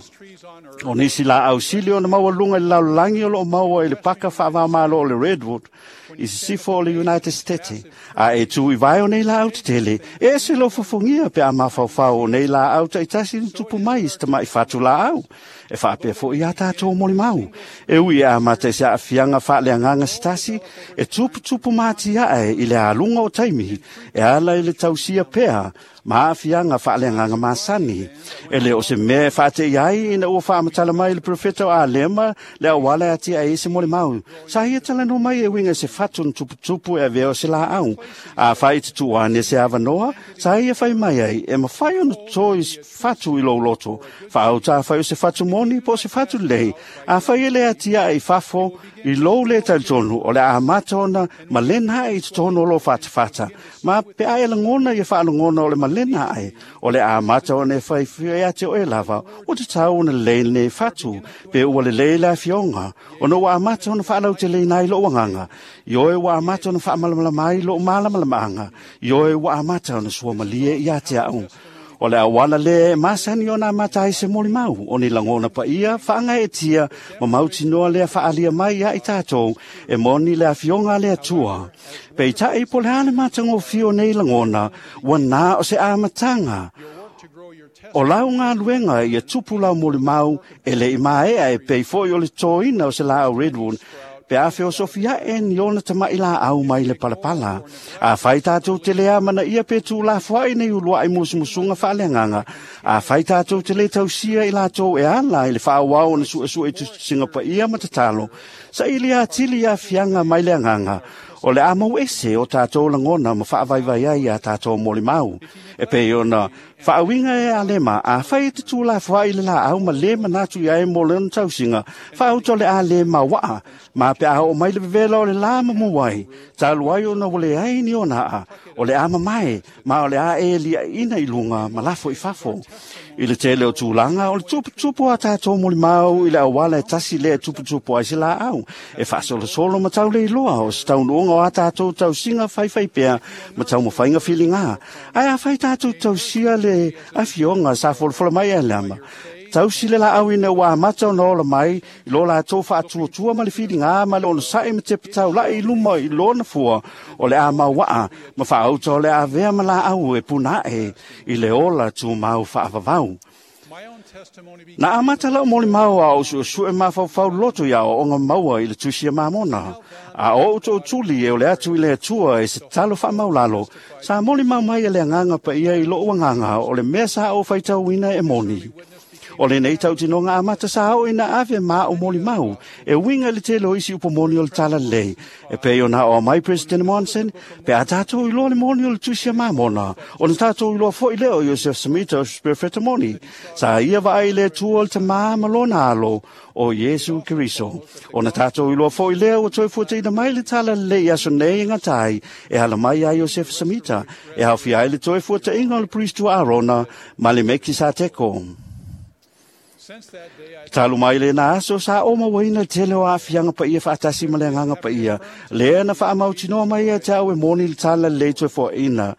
O nisi laau sili ona maualuga i le lalolagi o loo maua i le paka faavamalo o le Redwood, i sisifo o le United States. A e tu i vae o nei laau tetele, e ese lou fofogia pe a mafaufau o nei laau taitasi na tupu mai i se tama'i fatu laau. E faapea foi iā tatou molimau. E ui e amata i se aafiaga faaleagaga se tasi, e tuputupu matiae i le aluga o taimi, e ala i le tausia pea ma aafiaga faaleagaga masani. E le o se mea e faate'i ai ina ua faamatala mai le profeta o Alema le auala e atiae ai se molimau. Sa ia talanoa mai e uiga i se fatu na tuputupu e avea o se laau. Afai i te tuu ane se avanoa, sa ia fai mai ai e mafai ona toto i fatu i lou loto. Faautā fai o se fatu moni po o se fatu lelei. Afai e le atiae i fafo i lou le talitonu, o le a amata ona malena ae i totonu o lou fatafata. Ma pe a e lagona ia faalogona o le malena ae, o le a amata ona e faifia ia te oe lava, ua tatau ona lelei lenei fatu, pe ua lelei le afioga, ona ua amata ona faalauteleina ai lou agaga. Ioe ua amata ona faamalamalama ai lou malamalamaaga. Ioe ua amata ona suamalie ia te au. O le auala lea e masani ona amata ai se molimau, o ni lagona paia faagaeetia ma mautinoa lea faaalia mai ia i tatou e moni le afioga a le Atua. Peitai po o le a le matagofie o nei lagona, ua na o se amataga. O lau galuega ia tupu lau molimau e le i maea e pei foi o le totoina o se laau redwood, pe a feosofi ae ni ona tama'i laau mai le palapala. Afai tatou te le amanaia pe tuulafoai nei uluai musumusuga faaleagaga, afai tatou te le tausia i latou e ala i le faaauau ona suesue i tusitusiga paia ma tatalo, saili atili aafiaga mai le agaga, o le a mau ese o tatou lagona ma faavaivai ai iā tatou molimau. E pei ona faauiga e Alema, afai e te tuulafoai i le laau ma lē manatu i ai mo lona tausiga, faauta o le a lē mauaa, ma pe a oo mai le vevela o le lā mamu ai, talu ai ona ua leai ni ona aa, o le a mamae, ma o le a e liaʻiina i luga ma lafo i fafo. I le tele o tulaga, o le tuputupu a tatou molimau i le auala e tasi lea e tuputupu ai se laau, e faasolosolo ma tauleiloa o se taunuuga o a tatou tausiga faifai pea ma taumafaiga filigā. Ae afai tatou tausia le afioga sa folafola mai e Alama, Tausi le laau ina ua amata ona ola mai i lo latou faatuatua ma le filiga ma le onosai ma tepetaulai i luma i lona fua o le a mauaa ma faauta o le avea ma laau e punae i le ola tumau faavavau. Na amata lau molimau a o suesue mafaufau loto ia o maua i le tusi a Mamona. A o tootuli e o le atu i le Atua e se talo faamaulalo, sa molimau mai e le agaga paia i lou agaga o le mea sa ou faitauina e moni. O lenei tautinoga amata sa oo ina ave ma o molimau e uiga i le tele o isi upomoni o le talalelei. E pei ona o mai President Monson, pe a tātou iloa le moni o le tusi a Mamona, o na tātou iloa foi lea o Joseph Smith o Spirit moni. Sa ia vaai i le Atua o le tamā ma lona alo o Iesu Keriso. O na tātou iloa foi lea ua toe fuataina mai le talalelei i aso nei e gatai e ala mai a Joseph Smith, e aofia ai le toe fuataina o le Priest Arona ma le Mekisateko. Talu mai le na aso sa o mauaina tele o aafiaga paia faatasi ma le agaga paia. Lea na faamautinoa mai ia te au e moni le talalelei toe foaina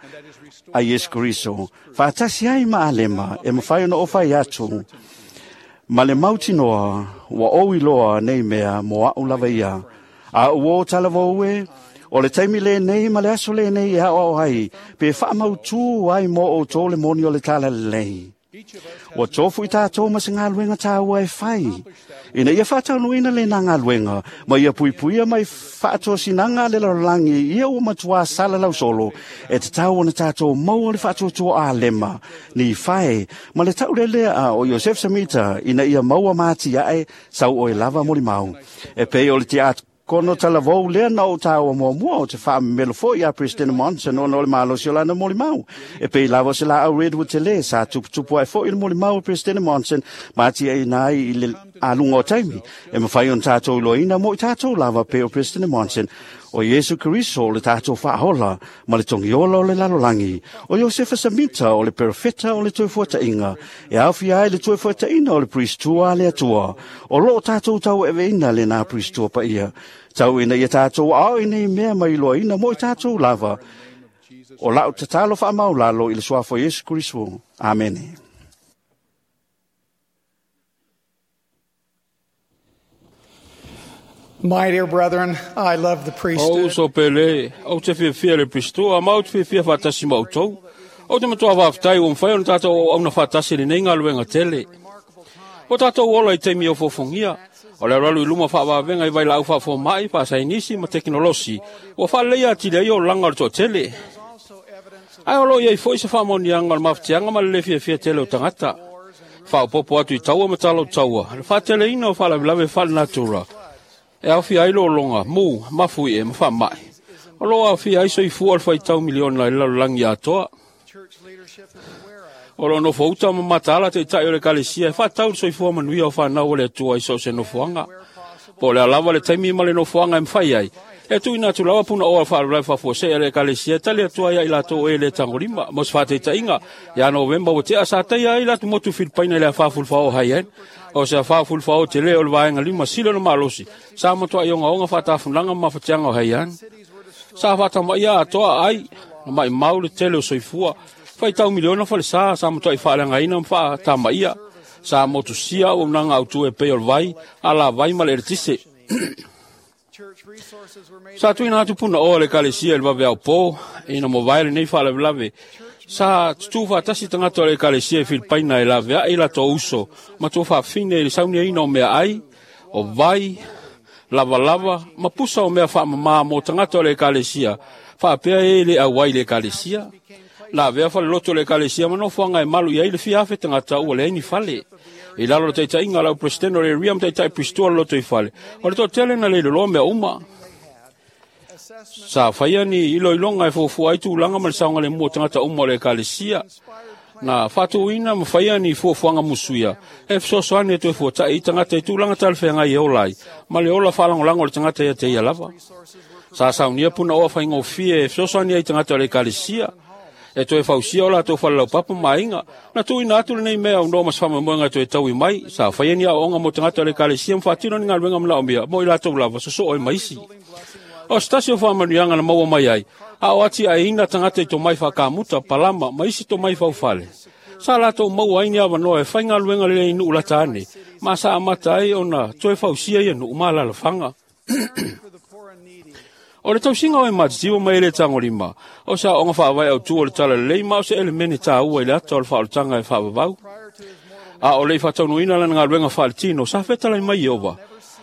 a Iesu Keriso. Faatasi ai ma alema e mafai ona ofai atu. Ma le mautinoa ua ou iloa nei mea mo a'u lava ia. A ua o talavou e, o le taimi lenei ma le aso lenei e aoao ai, pe faamautū ai mo outou le moni o le talalelei. Ua tofu i tātou ma se ngaluega tāua e whai. Ina ia whātaunuina le nā ngaluega, ma ia puipuia mai whaatosinaga le lalolagi ia ua matuā sala lausolo, e te tau ona tātou maua le whaatuatua a lema, ni whae, ma le taulelea a o Joseph Samita, ina ia maua māti ae, sau oe lava molimau. E pei o le te kono talavou lea na o tāua muamua o te whaamemelo foi a President Monson ona o le malosi o lana molimau. E pei lava se la au Redwood te le sa tuputupu ai foi le molimau o President Monson ma tia i nai i le alunga o taimi. E mawhai on tātou iloina mo i tātou lava pe o President Monson. O Iesu Keriso o le tātou whaahola ma le tongiola o le lalolangi. O Josefa Samita o le perofeta o le toefuatainga. E awhia ai le toefuataina o le priestua le atua. O loo tātou tau eweina le nā priestua pa ia. Tau ina ia tātou ao ina i mea mai iloaina mo i tātou lava. O lau tatalo whaamaulalo i le suafo Iesu Keriso. Amene. My dear brethren, I love the priesthood. O so pele, o te fiafia le priestua, ma o te fiafia whaatasi mautou. O te matua whaaftai o mwhai o na tātou o auna whaatasi le nei ngaluenga tele. O tātou ola i teimi o fofongia, o le ralu i luma whaawawenga i vaila au whaafomai, whaasainisi ma teknolosi, o whaaleleia atile ai o langa o le toatele. Ai o lo iai foi se whaamonianga o le mafutianga ma le le fiafia tele o tangata. Whaopopo atu i taua ma talo taua, le whaateleina o whaalawelawe whaale natura. E awhia ai lolonga, mū, mafui e, mawha mai. O lo awhia ai soifua o le whaitau miliona i lalolangi atoa. O lo nofo uta ma matala te itai o le kalesia e whatau le soifua manuia o whanau o le atua i so se nofoanga. Po le alawa le taimi ma le nofoanga e mwhai ai. E tui nā tulawa puna oa whaarulai whafuase e le kalesia tali atua ia i latou e le tangolima. Mo se whateitainga, ia Novemba o te asa taia ai latu motu Filipaina i le whafulwhao hai ai. O se whafulwhao te leo o le vaenga lima sila no malosi. Sa matua i onga onga whaatafunanga ma whatianga o hai ai. Sa whatama ia atoa ai, na mai mau le tele o soifua. Whaitau miliona whale sa, sa matua i whaalenga ina mwhaatama ia. Sa motu sia o mnanga autu e pei o le vai, ala vai ma le eretise. Sa tuina atu puna oa le kalesia i le wawe au pō, ina mo vaele nei whaalawelawe. Sa tutu whaatasi tangata o le kalesia i Filipaina e lawe ai la tō uso, ma tō whaafine i le saunia ina o mea ai, o vai, lava lava, ma pusa o mea whaamamā mō tangata o le kalesia, whaapea e le auai le kalesia. La vea whale loto le kalesia ma nofoanga e malu i ai le fiafe tangata ua le aini fale. I lalo le taitainga lau presidente o le riam taitai pristua le loto i fale. O le tōtele na le loloa mea uma. Sa whaia ni ilo ilonga e fuafua ai tūlanga ma le saunga le mua tangata uma o le kalesia. Na whātūina ma whaia ni fuafuanga musuia. E fesoasoani e toe fuatai i tangata i tūlanga talewhenga i ola ai. Ma le ola whalangolango le tangata ia te ia lava. Sa saunia puna oa whaingofie e fesoasoani ai tangata o le kalesia. E toe fausia o la tō whalalau papa mainga. Na tūina atu le nei mea o noa mas whamamoenga toe taui mai. Sa whaia ni ao onga mo tangata o le kalesia mwhātino ni ngā luenga mla o mea. Mo i lātou lava soso o e maisi. O stasi o whamanuianga na maua mai ai. A o ati ai ina tangata i tō mai whakamuta, palama, maisi tō mai whaufale. Sa latou maua ai ni avanoa e faigaluega lelei i nuu lata ane, ma sa amata ai ona toe fausia ia nuu ma alaalafaga. O le tausiga o e matitiva ma e le tagolima, o se aoaoga faavae autu o le talalelei ma o se elemene taua i le ata o le faaolataga e faavavau. A o le i faataunuuina lana galuega faaletino, sa fetalai mai Ieova,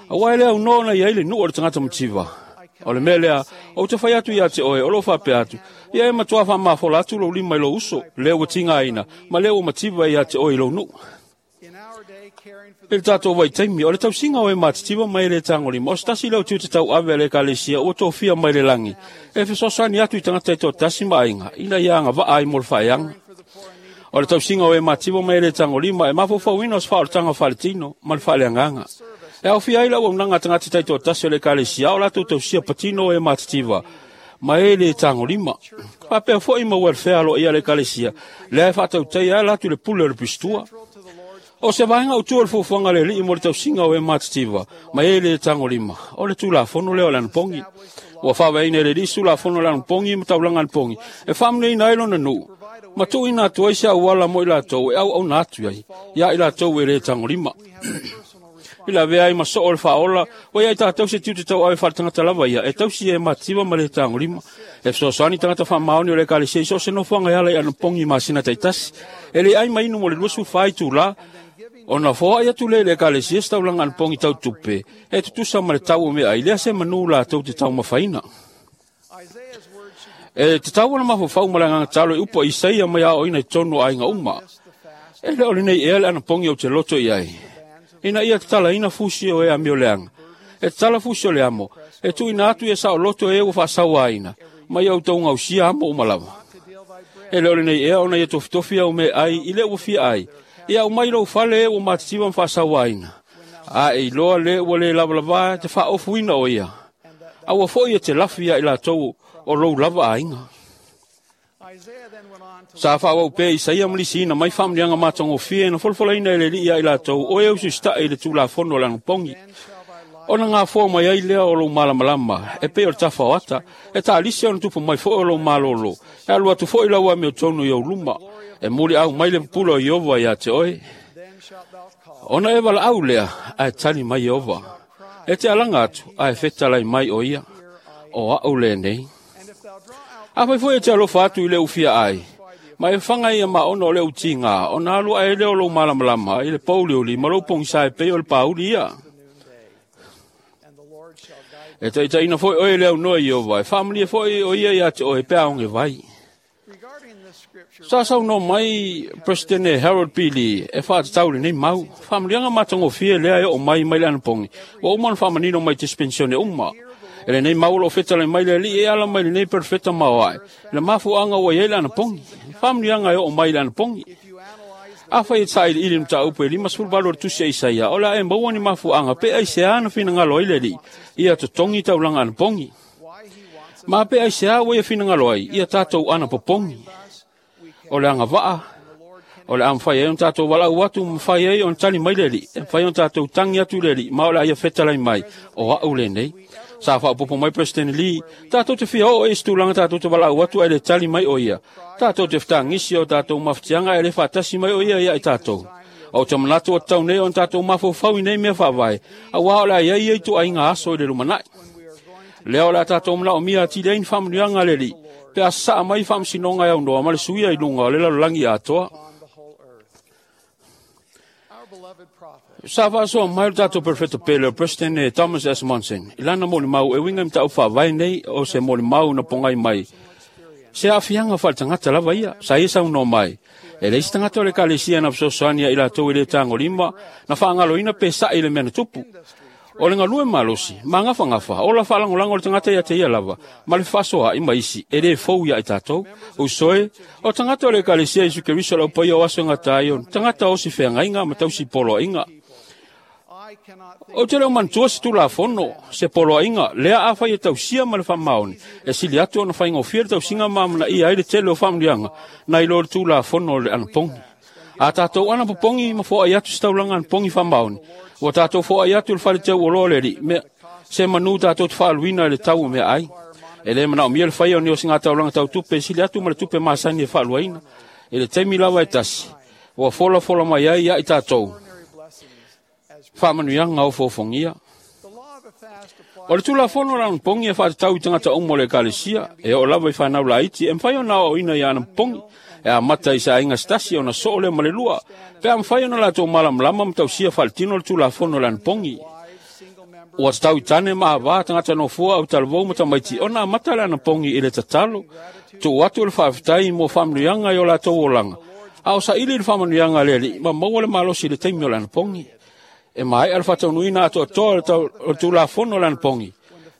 aua e le aunoa ona i ai le nuu o le tagata mativa. O le mea lea, ou te fai atu ia te oe, o loo faapea atu, ia e matua faamafola atu lou lima i lou uso, lea ua tigaina, ma lea ua mativa ia te oe i lou nuu. I le tatou vaitaimi, o le tausiga o e matitiva ma e le tagolima, o se tasi lea o tiute tauave a le Ekalesia ua tofia mai le lagi, e fesoasoani atu i tagata taitoatasi ma aiga, ina ia agavaa ai mo le faeaga. O le tausiga o e matitiva ma e le tagolima e mafaufauina o se faaolataga faaletino ma le faaleagaga. E aofia ai le auaunaga a tagata taitoatasi o le Ekalesia o latou tausia patino o e matitiva ma e le tagolima. Faapea foi ma welfare aloaia a le Ekalesia, lea e faatautaia ala atu i le pule o le pistua. O se vaega autu o le fuafuaga a le Alii mo le tausiga o e matitiva ma e le tagolima, o le Tulafono lea o le Anapogi. Ua faavaeina e le Alii se Tulafono o le Anapogi ma taulaga anapogi e faamanuiaina ai lona nuu, ma tuuina atu ai se auala mo i latou e auauna atu ai ia i latou e le tagolima. I le avea ai ma soo o le faaola, ua ia i tatou se tiute tauave faaletagata lava ia, e tausi e matitiva ma le tagolima. E fesoasoani tagata faamaoni o le Ekalesia i so o se nofoaga e ala i anapogi i masina taitasi. E le ai ma inu mo le 24 itula, ona foai atu lea i le Ekalesia se taulaga anapogi tau tupe, e tutusa ma le tau o meaai, lea se manu latou te taumafaina. E tatau ona mafaufau ma le agaga talo i upu a Isaia mai aoaoina i totonu o aiga uma. E le o lenei ea le anapogi ou te loto i ai, ina ia tatalaina fusi o e amioleaga, e tatala fusi o le amo, e tuuina atu ia saoloto e ua faasauaina, ma ia outou gausia amo uma lava. E le o lenei ea ona ia tofitofi au meaai i le ua fia ai, ia aumai lou fale e ua matitiva ma faasauaina, a e iloa le ua le lavalava te faaofuina o ia, a ua foi e te lafi ia i latou o lou lava aiga. Sa faaauau pea Isaia ma lisiina mai faamanuiaga matagofie na folafolaina e le Alii ia i latou o e usiusitai i le Tulafono o le Anapogi. Ona gafoa mai ai lea o lou malamalama, e pei o le tafa o ata, e taalisi ona tupu mai foi o lou malolo, e alu atu foi lau amiotonu i ou luma, e muliau mai le pupula o Ieova ia te oe. Ona e valaau lea, ae tali mai Ieova. E te alaga atu, ae fetalai mai o ia, o au lenei. Afai foi e te alofa atu i le ufia ai, ma e faga ia maona o le utiga, ona alu ae lea o lou malamalama i le pouliuli ma lou pogisa e pei o le pauli ia. E taitaiina foi oe le aunoa i Ieova, e faamalie foi o ia ia te oe pe aoge vai. Sa saunoa mai Presidente Harold P. Lee e faatatau lenei mau. Faamaliaga matagofie lea e oo mai mai le anapogi, ua uma ona faamanino mai dispensione uma. E lenei mau o loo fetalai mai le Alii e ala mai lenei perofeta maoae, le mafuaaga ua i ai le anapogi. Faamanuiaga e oo mai le anapogi. Afai e sailiili le mataupu e 58 o le tusi a Isaia, o le a e maua ni mafuaaga pe aisea na finagalo ai le Alii ia totogi taulaga anapogi. Ma pe aisea ua ia finagalo ai ia tatou anapopogi. O le agavaa, o le a mafai ai ona tatou valaau atu, ma mafai ai ona tali mai le Alii, e mafai ona tatou tagi atu i le Alii, ma o le a ia fetalai mai, o au lenei. Sa faaopoopo mai President Lee, tatou te fia oo i se tulaga tatou te valaau atu ae le tali mai o ia. Tatou te fetagisi o tatou mafatiaga ae le faatasi mai o ia ia i tatou. Ou te manatu o tatau nei ona tatou mafaufau i nei mea faavae, aua o le a i ai ia ituaiga aso i le lumanai. Lea o le a tatou manaomia atili ai ni faamanuiaga a le Alii, pe a sasaa mai faamasinoga e aunoa ma le suia i luga o le lalolagi atoa. Sa faasoa mai le tatou perofeta pele o President Thomas S. Monson i lana molimau e uiga i mataupu faavae nei o se molimau na pogai mai se aafiaga faaletagata lava ia. Sa ia saunoa mai, e leai se tagata o le Ekalesia na fesoasoani ia i latou e le tagolima, na faagaloina pe sa'i i le mea na tupu. O le galue malosi, magafagafa, ola faalagolago o le tagata ia te ia lava, ma le fefaasoaai ma isi, e le fou ia i tatou. Usoe, o tagata o le Ekalesia Iesu Keriso o le aupaia o aso e gata ai, o tagata o si feagaiga ma tausi poloaiga. Ou te le o manatua se Tulafono, se poloaiga, lea afai e tausia ma le faamaoni, e sili atu ona faigofie le tausiga ma amanaia ai le tele o faamanuiaga, nai lo le Tulafono o le anapogi. A tatou anapopogi ma foai atu se taulaga anapogi faamaoni, ua tatou foai atu i le fale teu oloa o le Alii, mea, se manu tatou te faaluina i le tau o meaai. E le manaomia le faia o ni osiga taulaga tau tupe e sili atu ma le tupe masani e faaluaina, i le taimi lava e tasi. Ua folafola mai ai ia i tatou faamanuiaga o foofogia. O le tulafono o le anapogi e faatatau i tagata uma o le ekalesia, e oo lava i fanau laiti e mafai ona aoaoina i anapogi, e amata i se aiga se tasi ona soo lea ma le lua, pe a mafai ona latou malamalama ma tausia faaletino le tulafono o le anapogi. Ua tatau i tane ma avā tagata nofoa au talavou ma tamaiti ona amata le anapogi i le tatalo, tuu atu le faafetai mo faamanuiaga i o latou olaga, a o saili le faamanuiaga a le Alii ma maua le malosi i le taimi o le anapogi. E maea le faataunuuina atoatoa o le tulafono o le anapogi,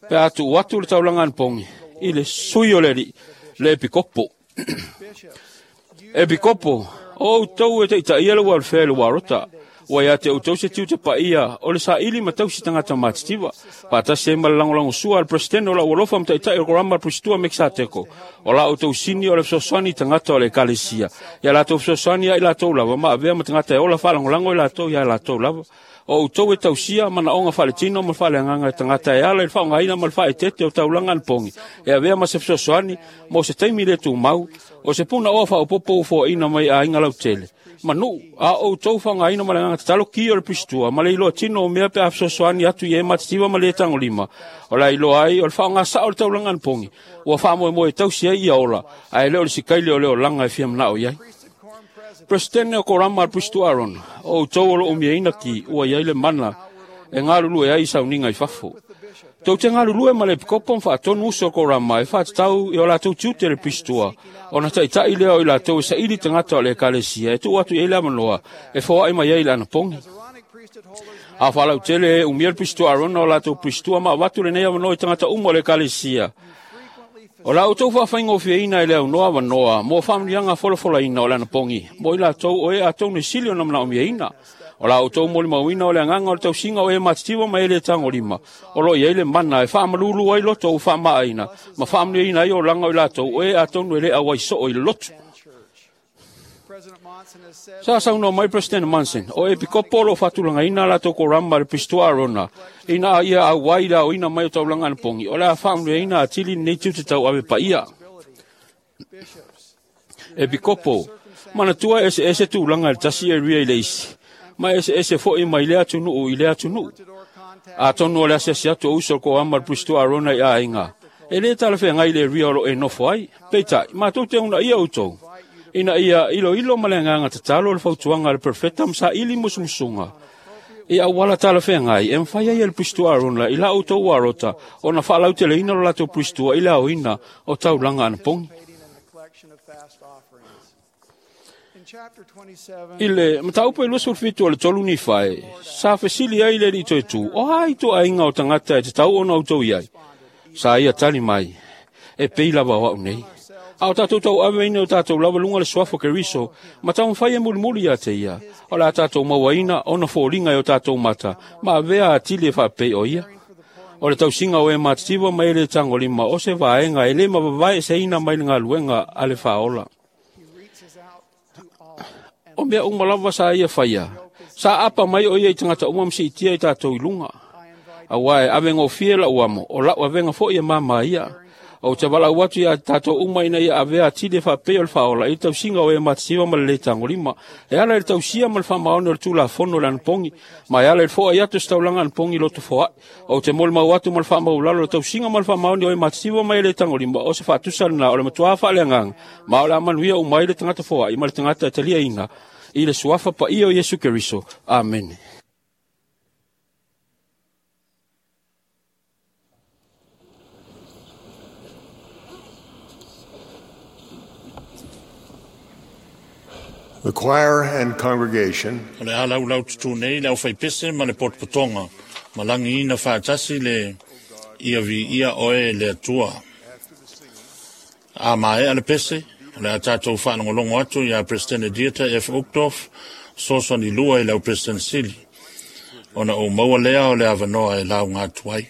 pe a tuu atu le taulaga anapogi i le sui o le Alii, le epikopo. Epikopo, o outou e taitaia le welfare i le uarota, ua ia te outou se tiute paia o le saili ma tausi tagata matitiva, faatasi ai ma le lagolagosua a le Peresetene o lau alofa ma taitai o le Korama Pristua Mekisateko, o la outou sini o le fesoasoani i tagata o le ekalesia, ia latou fesoasoani ia i latou lava ma avea ma tagata e ola faalagolago i latou ia latou lava. O outou e tausia manaoga faaletino ma le faaleagaga e tagata e ala i le faaaogaina ma le faaeteete o taulaga anapogi, e avea ma se fesoasoani mo se taimi le tumau, o se punaoa faaopoopo ua foaina mai aiga lautele. Ma nuu, a o outou faaaogaina ma le agaga tatalo ki o le Pristua ma le iloa tino o mea pe a fesoasoani atu i e matitiva ma le tagolima, o le a iloa ai o le faaaoga sao o le taulaga anapogi, ua faamoemoe e tausi ai ia ola, ae le o le sikaile o le olaga e fia manao i ai. Presidente o Korama al Pristua Aaron, o outou o lo o umiaina ki ua iai le mana e galulue ai i sauniga i fafo. Tou te galulue ma le epikopo ma faatonu uso o Korama e faatatau i o latou tiute le Pristua, ona taitai lea o i latou e saili tagata o le ekalesia e tuu atu i ai le avanoa e foai mai ai i le anapogi. A faalautele e umia le Pristua Aarona o latou Pristua ma avatu lenei avanoa i tagata uma o le ekalesia. O la outou faafaigofieina e le aunoa avanoa mo faamanuiaga folafolaina o le anapogi mo i latou o e atonu e sili ona manaomiaina. O la outou molimauina o le agaga o le tausiga o e matitiva ma e le tagolima, o lo o i ai le mana e faamalulu ai loto ua faamaaina ma faamanuiaina ai olaga o i latou o e atonu e le auai soo i le lotu. Sa saunoa mai President Monson, o epikopo o lo o faatulagaina latou korama le Pristua Aarona, ina ia auai le aoina mai o taulaga anapogi, o le a faamanuiaina atili lenei tiute tauave paia. Epikopo, manatua eseese tulaga i le tasi area i le isi, ma eseese foi mai lea atunuu i lea atunuu. Atonu o le asiasi atu o uso o le korama le Pristua Aarona i aiga, e le talafeagai le area o lo o e nofo ai. Peitai, matou te uunaia outou, ina ia iloilo ma le agaga tatalo le fautuaga a le Perofeta ma saili musumusuga i auala talafeagai e mafai ai e le Pristua Aarona i la outou uarota ona faalauteleina lo latou Pristua i le aoina o taulaga anapogi. I le mataupu e 27 o le 3 Nifae, sa fesili ai le alii toetu, o a ituaiga o tagata e tatau ona outou i ai? Sa ia tali mai, e pei lava o au nei. A o tatou tauaveina o tatou lava luga le suafa o Keriso, ma taumafai e mulimuli ia te ia, o le a tatou mauaina ona foliga e o tatou mata, ma avea atili e faapei o ia. O le tausiga o e matitiva ma e le tagolima o se vaega e le mavavae eseina mai le galuega a le faaola. O mea uma lava sa ia faia, sa apa mai o ia i tagata uma ma siitia i tatou i luga. Auā e avegofie lau amo, o lau avega foi e mama ia. Ou te valaau atu ia tatou uma ina ia avea atili e faapei o le faaola i le tausiga o e matitiva ma le le tagolima, e ala i le tausia ma le faamaoni o le tulafono o le anapogi, ma e ala i le foai atu o se taulaga anapogi i loto foai. Ou te molimau atu ma le faamaulalo le tausiga ma le faamaoni o e matitiva ma e le tagolima, o se faatusa lena o le matuā faaleagaga, ma o le a manuia uma ai le tagata foai ma le tagata e taliaina i le suafa paia o Iesu Keriso. Amene. The choir and congregation O le a laulau tutū nei le aufaipese ma le potopotoga, ma lagiina faatasi le ia viia oe e le Atua. A maea le pese, o le a tatou faalogologo atu iā Peresetene Dieter F. Uchtdorf, fesoasoani lua i le au Peresetene Sili, ona ou maua lea o le avanoa e lauga atu ai.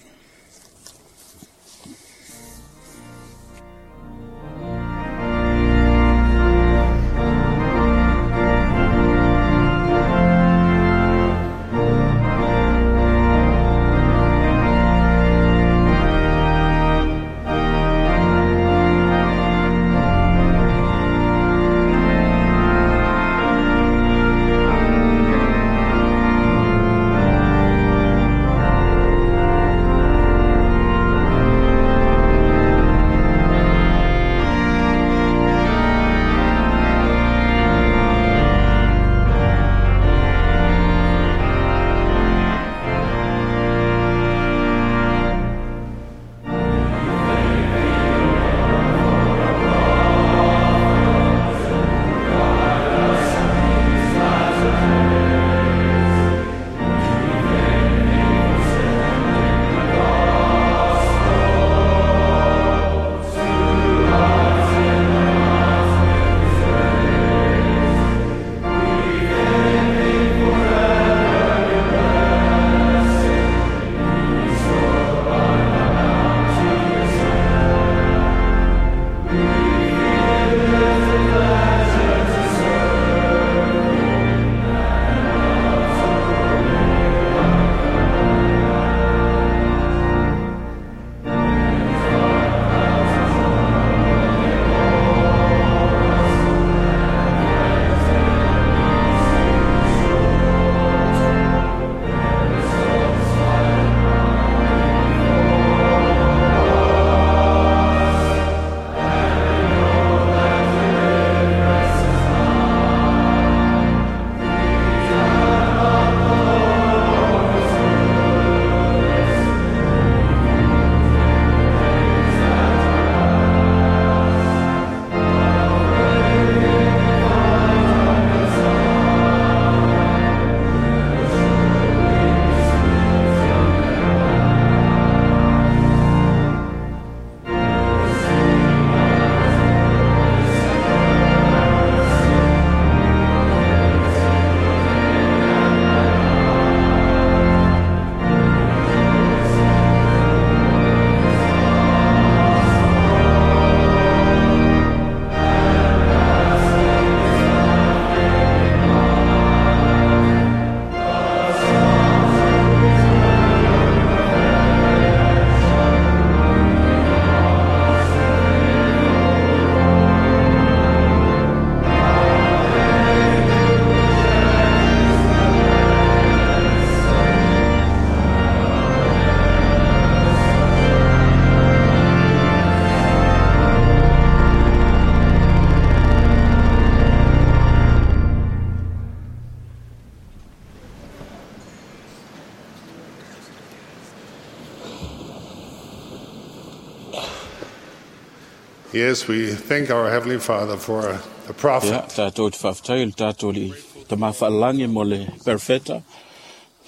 Yes, we thank our Heavenly Father for the prophet. Ia, tātou te whaafetai le tātou li tama whaalangi mo le perfeta,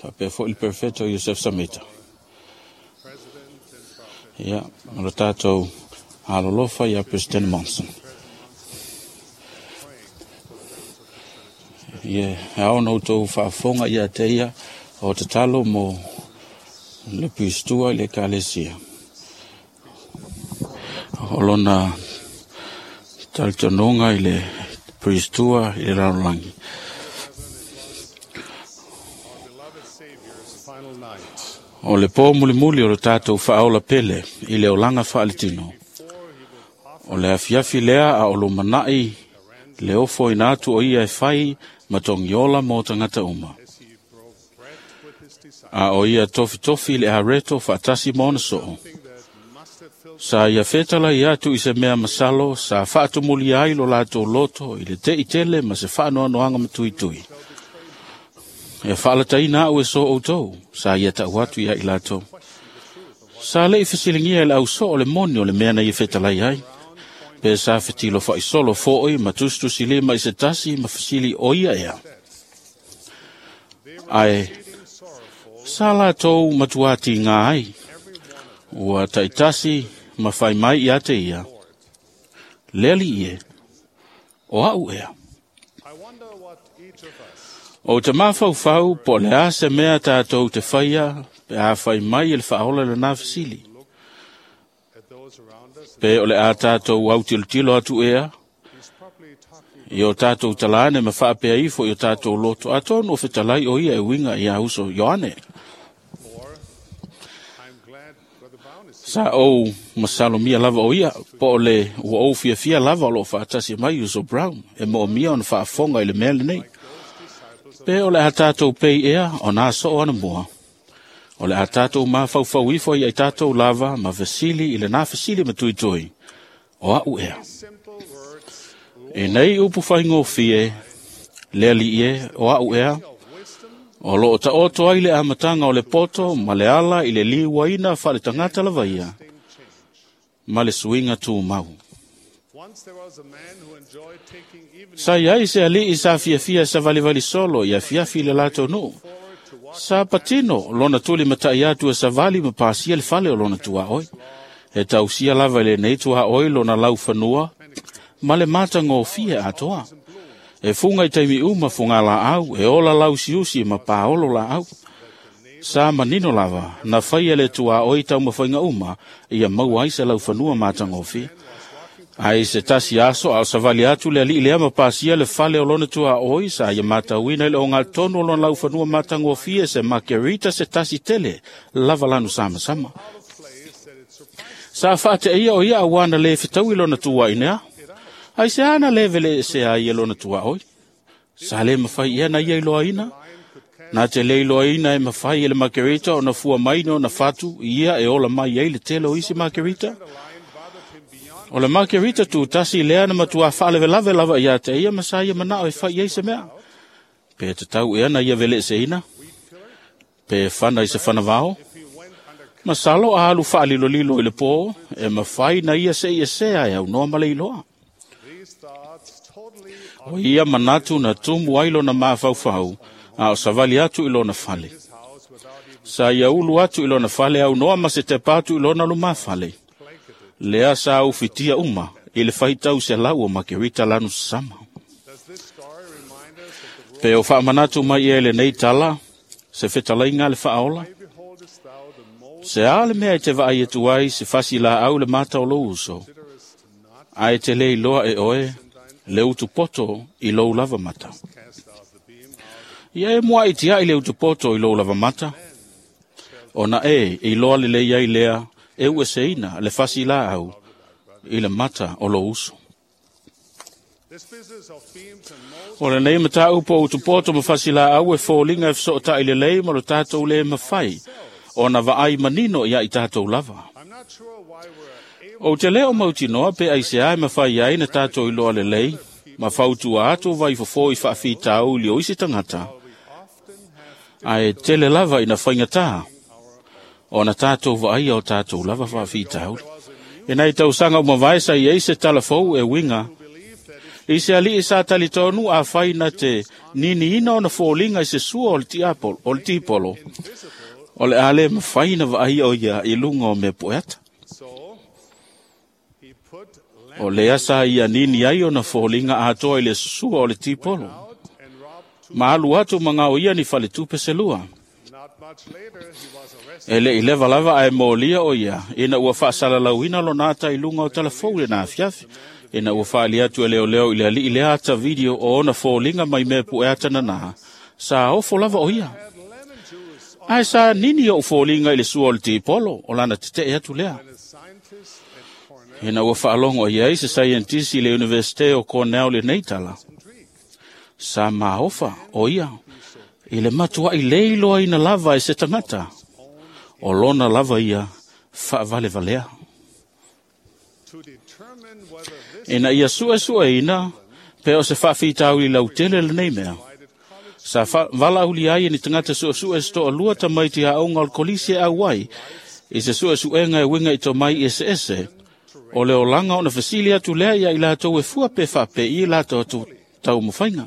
whaapea foi le perfeta o Yosef Samita. Ia, o le tātou alolofa ia President Monson. Ia, e ao na outou whaafonga ia te ia o te talo mo le pistua i le kalesia. O lona talitonuga i le Pristua i le lalolagi. O le pō mulimuli o le tātou whaaola pele i le olaga faaletino. O le afiafi lea a o lumanai le ofo ina atu o ia e fai ma togiola mo tagata uma. A o ia tofitofi le areto faatasi ma ona soo. Sa ia fetala i atu i se mea masalo, sa faatumulia ai lo latou loto i le tei tele ma se faanoanoaga matuitui. E faalataina au e so outou, sa ia tau atu ia i latou. Sa lei fesiligia e le ausoo le moni o le mea na ia fetalai ai. Pe sa fetilo faisolo foʻi ma tusitusilima i se tasi ma fesili o ia ea. Ae sa latou matuātigā ai. Ua taitasi ma fai mai ia te ia. Le alii e, o au ea. O te mafaufau po o le a se mea tātou te faia pe a fai mai e le faaola lenā fesili. Pe o le a tātou autilotilo atu ea, i o tātou talane ma faapea ifo i o tātou loto, atonu o fetalai o ia e uiga ia uso Ioane. Sa ou masalomia lava o ia, po o le ua ou fiafia lava o loo faatasi mai uso Brown, e moomia ona faafofoga i le mea lenei. Pe o le a tātou pei ea o nā soo ana mua. O le a tātou mafaufau ifo ia i tātou lava ma fesili i le nā fesili ma tuitui. O au ea. E nei upu whaingofie, le alii e, o au ea, o loo taoto ai le amataga o le poto ma le ala i le liuaina faaletagata lava ia, ma le suiga tumau. Sa iai se alii sa fiafia savalivali solo i afiafi i le latou nuu. Sa patino lona tuli matai atu e savali ma pasia le fale o lona tuaoi. E tausia lava i lenei tuaoi lona laufanua ma le matagofie atoa. E fuga i taimi uma fuga laau, e ola lausiusi ma paolo laau. Sa manino lava, na faia le tuaoi taumafaiga uma, ia maua ai se laufanua matagofie. Ai se tasi aso a o savali atu le alii lea ma pasia le fale o lona tuaoi, sa ia matauina i le ogatotonu o lona laufanua matagofie se makerita se tasi tele, lava lanu samasama. Sa faateia o ia auana le fetaui lona tuainea. Ai se ana le vele se ai e lona tuaoi. Sa le mawhai ia na ia iloaina. Na te le iloaina e mawhai e le makerita o na fua maina o na fatu, ia e ola mai ai le tele o isi makerita. O le makerita tu tasi lea na matua faalevelave lava ia te ia ma sa ia manao e fai ai se mea. Pe te tau ea na ia vele se ina. Pe whana i se whanavao. Masalo a alu faalilolilo i le pō, e mawhai na ia se ia sea e au noa ma le iloa. O ia manatu na tumu ai lona mafaufau, a o savali atu i lona fale. Sa ia ulu atu i lona fale au noa ma se tepa atu i lona lumafale. Lea sa ufitia uma i le faitau se lau o makerita lanu sama. Pe o faamanatu mai e lenei tala, se fetalaiga le faaola. Se a le mea e te vaai atu ai se fasi laau le mata o lou uso. Ae te le iloa e oe, le utupoto i lou lava mata. Ia e mua i tiai le utupoto i lou lava mata. Ona e iloa lelei ai lea, e ueseina le fasi laau i le mata o lou uso. O lenei mataupu o utupoto ma fasi laau e foliga e fesootai lelei ma lo tātou le mawhai, o na vaai manino ia i tātou lava. O te leo mautinoa pe ai se ai mawhai ai na tātou iloa lelei, ma fautua atu vai fofo i faafitauli o isi tangata. Ae tele lava ina whaingatā, o na tātou vaai o tātou lava faafitauli. E nai tausaga ua mavae sa i ai se talafou e uiga i se ali'i sa talitonu afai na te niniina ona foliga i se sua o le tiapolo, o le tipolo, o le a lē mafai na vaaia o ia i luga o mea pueata. O lea sa ia nini ai ona foliga atoa i le sua o le tipolo, ma alu atu ma gaoia ni faletupe se lua. E le i leva lava ae molia o ia ina ua faasalalauina lona ata i luga o talafou i lena afiafi, ina ua faali atu e leoleo i le ali'i lea ata video o ona foliga mai mea pueata nanā, sa ofo lava o ia. Ae sa nini o'u foliga i le sua o le tipolo, o lana tete'e atu lea. Ina ua faalogo i ai se saienitisi i le Iunivesite o Cornell lenei tala, sa maofa o ia i le matua'i le iloaina lava e se tagata, o lona lava ia faavalevalea. Ina ia su'esu'eina pe o se faafitauli lautele lenei mea, sa valaaulia ai e ni tagata su'esu'e se to'alua tamaiti a'oga o le kolisi e auai i se su'esu'ega e uiga i tomai eseese, o le olaga ona fesili atu lea ia i latou e fua pe faape'i latou atu taumafaiga.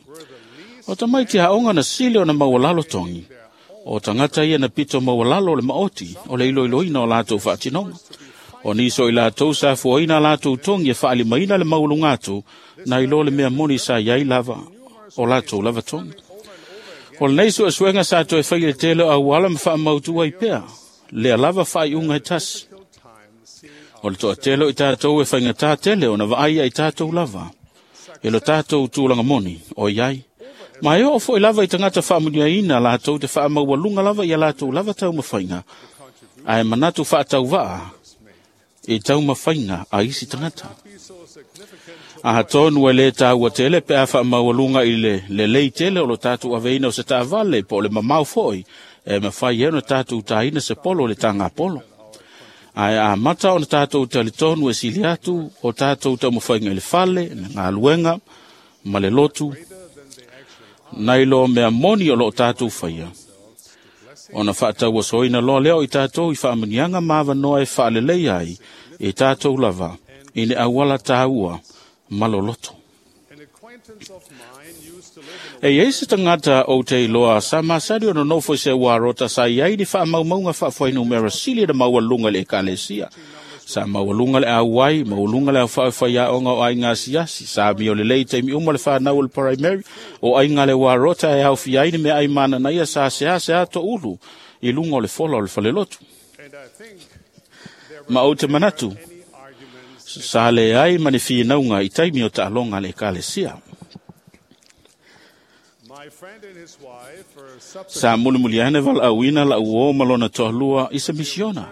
O tamaiti a'oga na sili ona maualalo togi, o tagata ia na pito maualalo o le maoti o le iloiloina o latou faatinoga. O nisi o i latou sa fuaina latou togi e faalimaina le maualuga atu, na i lo le mea moni sa i ai lava o latou lava togi. O lenei suesuega sa toe fai i le tele o auala ma faamautu ai pea, lea lava faaiuga e tasi. O le toatele o i tatou e faigata tele ona vaai ia i tatou lava, e lo tatou tulaga moni o i ai. Ma e oo foi lava i tagata faamuniaina latou te faamaualuga lava ia latou lava taumafaiga, ae manatu faatauvaa i taumafaiga a isi tagata. Atonu e lē taua tele pe a faamaualuga i le lelei tele o lo tatou aveina o se taavale po o le mamao foi e mafai ai ona tatou taina se polo i le tagapolo. Ae amata ona tatou talitonu e sili atu o tatou taumafaiga i le fale, le galuega ma le lotu, nai lo mea moni o loo tatou faia. Ona faatauasoina loa lea o i tatou i faamuniaga ma avanoa e faaleleia ai i tatou lava i le auala tāua ma loloto. E i ai se tagata ou te iloa sa masani ona nofo i se uarota sa i ai ni faamaumauga faafuainumera sili na maualuga i le ekalesia. Sa maualuga le auai, maualuga le aofai faiaoga o aiga asiasi, sa amio lelei i taimi uma le fanau o le primary, o aiga le uarota e aofia ai ni meaai mananaia sa seasea toulu i luga o le fola o le falelotu. Ma ou te manatu, sa leai ma ni finauga i taimi o taaloga a le ekalesia. Sa mulimuli ane valaauina la'u uō ma lona toalua i se misiona.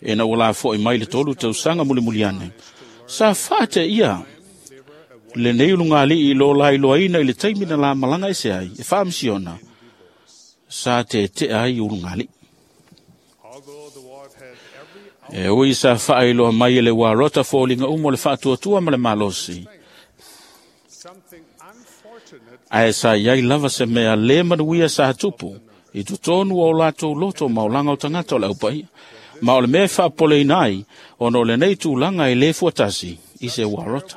Ina ua lafo'i mai le 3 tausaga mulimuli ane, sa faateia lenei ulugalii i lo lailoaina i le taimi na la malaga ese ai e faamisiona, sa tete'a ai ulugalii. E ui sa faailoa mai e le uarota foliga uma o le faatuatua ma le malosi, ae sa i ai lava se mea lē manuia sa tupu i totonu o latou loto ma olaga o tagata o le aupaia. Ma o le mea e faapopoleina ai, ona o lenei tulaga e lē fuatasi i se uarota.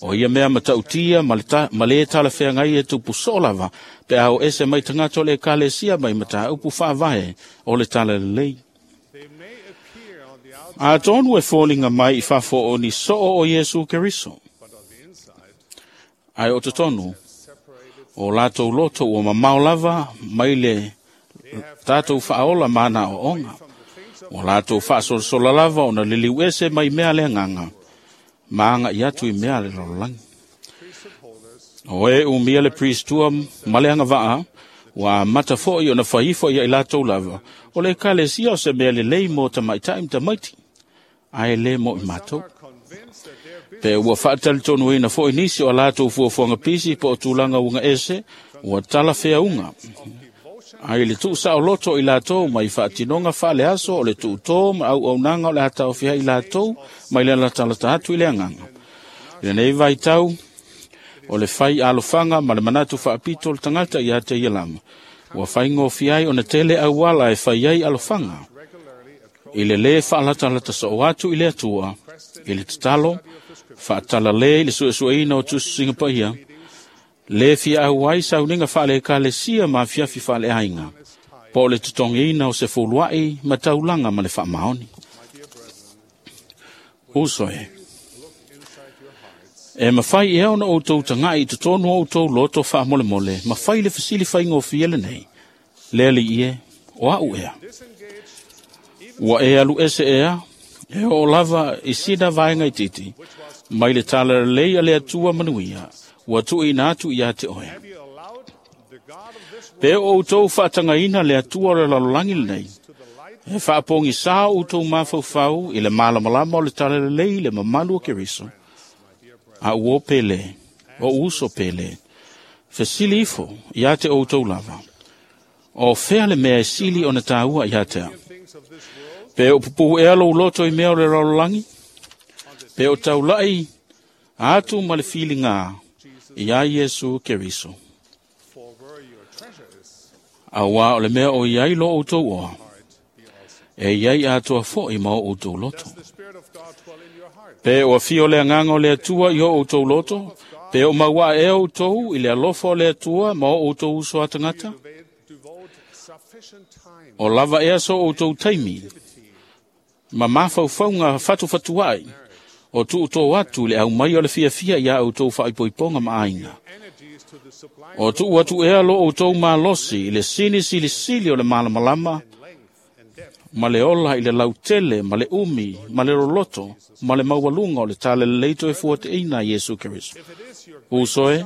O ia mea matautia ma lē talafeagai e tupu soo lava pe a o ese mai tagata o le ekalesia mai mataupu faavae o le talalelei. Atonu e foliga mai i fafo o ni soo o Iesu Keriso, ae o totonu o latou loto ua mamao lava mai le tatou faaola ma ana aoaoga. Ua latou faasolasola lava ona liliu ese mai mea le agaga ma aga'i atu i mea a le lalolagi. O e umia le pristua ma le agavaa, ua amata fo'i ona fai ifo ia i latou lava, o le ekalesia o se mea lelei mo tamaita'i ma tamaiti, ae lē mo i matou. Pe ua faatalitonuina foi nisi o a latou fuafuaga pisi po o tulaga uga ese, ua talafeauga ai le tuusaoloto i latou mai faatinoga faaleaso o le tuutō ma auaunaga o le a taofia ai i latou mai le latalata atu i le agaga. I lenei vaitau, o le fai alofaga ma le manatu faapito o le tagata ia te ia lava, ua faigofie ai ona tele auala e fai ai alofaga. I le lē faalatalata so'o atu i le Atua, i le tatalo, faatalale i le suesueina o tusitusiga paia, lē fiaau ai sauniga faale-Ekalesia ma afiafi faaleaiga, po o le totogiina o se fulua'i ma taulaga ma le faamaoni. Uso e, e mafai ea ona outou taga'i i totonu o outou loto faamolemole ma fai le fesili faigofie lenei, le Alii e, o a'u ea? Ua e alu ese ea, e oo lava i sina vaega itiiti, mai le talalelei a le Atua manuia, ua tuuina atu iā te oe. Pe o outou faatagaina le Atua o le lalolagi lenei, e faapogisā o outou mafaufau i le malamalama o le talalelei i le mamalu o Keriso, a ua o pele, o uso pele, fesili ifo iā te outou lava. O fea le mea e sili ona tāua iā te au? Pe o pupu ea lou loto i mea o le lalolagi? Pe o taulai atu ma le filigā iā Iesu Keriso. Auā o le mea o iai lo outou oa, e iai atoa fo'i ma o outou loto. Pe o afio le agaga o le Atua i o outou loto, pe o mauaa ea outou i le alofa o le Atua ma o outou uso a tagata? O lava ea so outou taimi, ma mafaufauga fatufatua'i, o tuutō atu i le aumai o le fiafia iā outou faaipoipoga ma aiga. O tuu atu ea lo outou malosi i le sini silisili o le malamalama, ma le ola i le lautele, ma le umi, ma le loloto, ma le maualuga o le talalelei toe fuateʻina a Iesu Keriso. Uso e,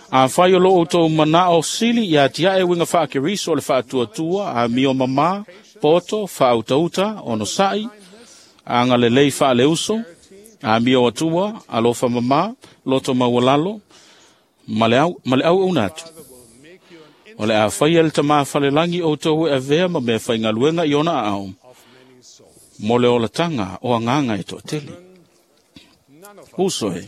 afai o lo outou manao sili ia atiaʻe uiga faa-Keriso o le faatuatua, amio mamā, poto, faautauta, onosaʻi, agalelei faaleuso, amio atua, alofa mamā, loto maualalo, ma le auauna atu. O le a faia le tamā falelagi outou e avea ma mea faigaluega i ona aao, mo le olataga o agaga e toatele. Uso e,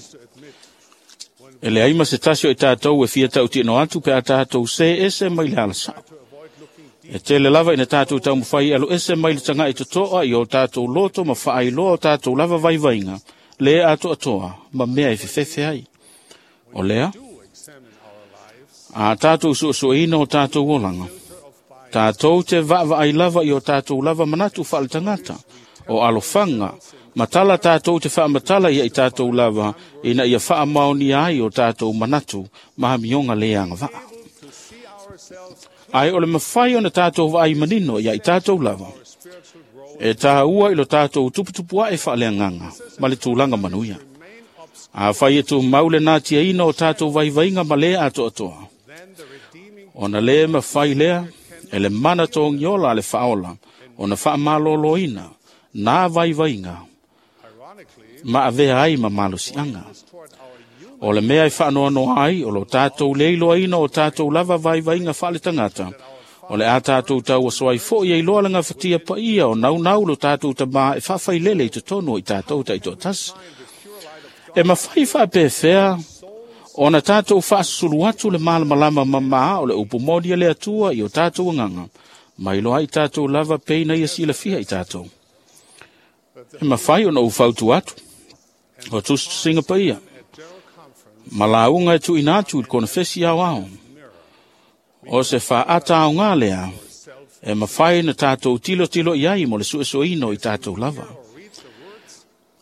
e leai ma se tasi o i tatou e fia tautino atu pe a tatou sē ese mai le alasa'o. E tele lava ina tatou taumafai e alu ese mai le taga'i toto'a i o tatou loto ma faailoa o tatou lava vaivaiga, lē atoatoa ma mea e fefefe ai. O lea, a tatou suesueina o tatou olaga, tatou te vaavaai lava i o tatou lava manatu faaletagata, o alofaga, ma tala tatou te faamatala ia i tatou lava, ina ia faamaonia ai o tatou manatu ma amioga lē agavaa. Ae o le mafai ona tatou vaai manino ia i tatou lava, e tāua i lo tatou tuputupuaʻe faaleagaga ma le tulaga manuia. Afai e tumau le natiaina o tatou vaivaiga ma lē atoatoa, ona lē mafai lea e le mana togiola a le faaola ona faamalōlōina nā vaivaiga ma avea ai ma malosiaga. O le mea e faanoanoa ai o lo tatou le iloaina o tatou lava vaivaiga faaletagata, o le a tatou tauaso ai fo'i e iloa le gafatia paia o naunau lo tatou tamā e faafailele i totonu o i tatou taitoatasi. E mafai faapefea ona tatou faasusulu atu le malamalama mamā o le upu moni a le Atua i o tatou agaga, ma iloa ai tatou lava pei na ia silafia i tatou. E mafai ona ou fautua atu, o tusitusiga paia, ma lauga e tuuina atu i le konefesi aoao. O se faaata aogā lea, e mafai na tatou tilotilo i ai mo le suesueina o i tatou lava.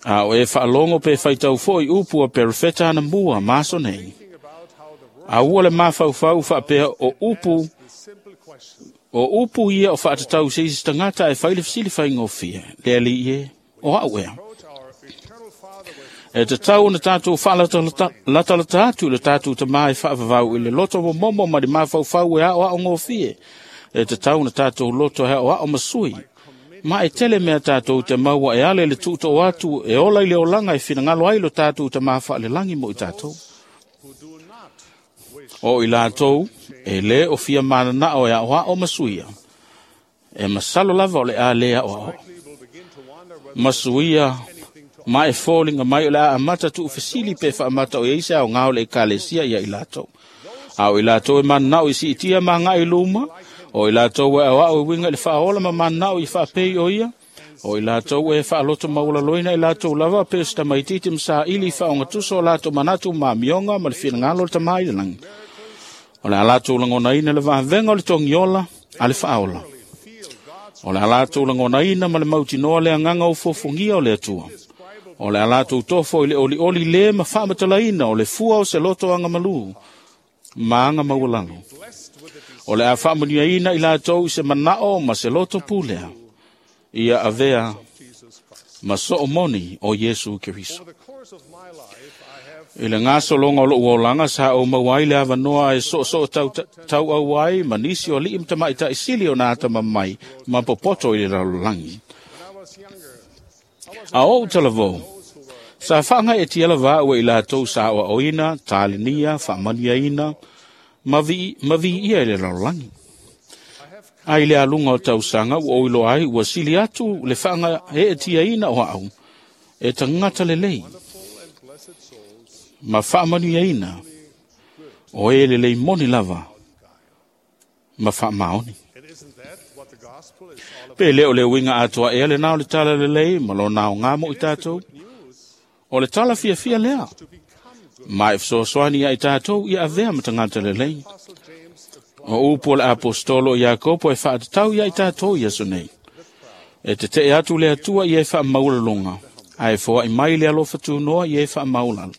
A o e faalogo pe faitau fo'i upu a perofeta anamua ma aso nei, a ua le mafaufau faapea o upu ia o faatatau i se isi tagata ae fai le fesili faigofie, le Alii e, o a'u ea? E tatau ona tatou faalatalata atu i le tatou tamā e faavavau i le loto momomo ma le mafaufau e aoao gofie. E tatau ona tatou loto e aoao ma sui. Ma e tele mea tatou te maua e ale le tuutoo atu e ola i le olaga e finagalo ai lo tatou tamā faalelagi mo i tatou. O i latou, e lē o fia mananao e aoao ma suia, e masalo lava o le a lē aoao. Ma suia, ma e foliga mai o le a amata tuufesili pe faamata o iai se aogā o le Ekalesia ia i latou. A o i latou e mananao i siitia ma agai i luma, o i latou e aoao e uiga i le faaola ma mananao i faapei o ia, O i latou e faaloto maualaloina i latou lava pe o se tamaitiiti ma saili i faaogatusa o latou manatu ma amioga ma le finagalo o le Tamā i le lagi. O le a latou lagonaina le vavega o le togiola a le faaola. O le a latou lagonaina ma le mautinoa le agaga ofofogia o le Atua. O le a latou tofo i le olioli le ma faamatalaina o le fua o se loto agamalu ma aga maualalo. O le a faamanuiaina i latou i se manao ma se loto pulea, ia avea ma soo moni o Iesu Keriso. I le gasologa o lou olaga sa ou maua ai le avanoa e soosoo tauau ai ma nisi o alii ma tamaitai sili o na atamamai ma popoto i le lalolagi. A ou talavou, sa faagaeetia lava a'u e i latou sa aoaoina, talenia, faamanuiaina, ma viia i le lalolagi. A i le aluga o tausaga ua ou iloa ai ua sili atu le faagaeetiaina o a'u e tagata lelei ma faamanuiaina o e lelei moni lava ma faamaoni. Pe le o le uiga atoa ea lenā o le tala lelei ma lona aogā mo i tatou? O le tala fiafia lea, ma e fesoasoani ia i tatou ia avea ma tagata lelei. O upu o le aposetolo o Iakopo e faatatau ia i tatou i aso nei. E tetee atu le Atua i e faamaualaloga, ae foai mai le alofa tunoa i e faamaualalo.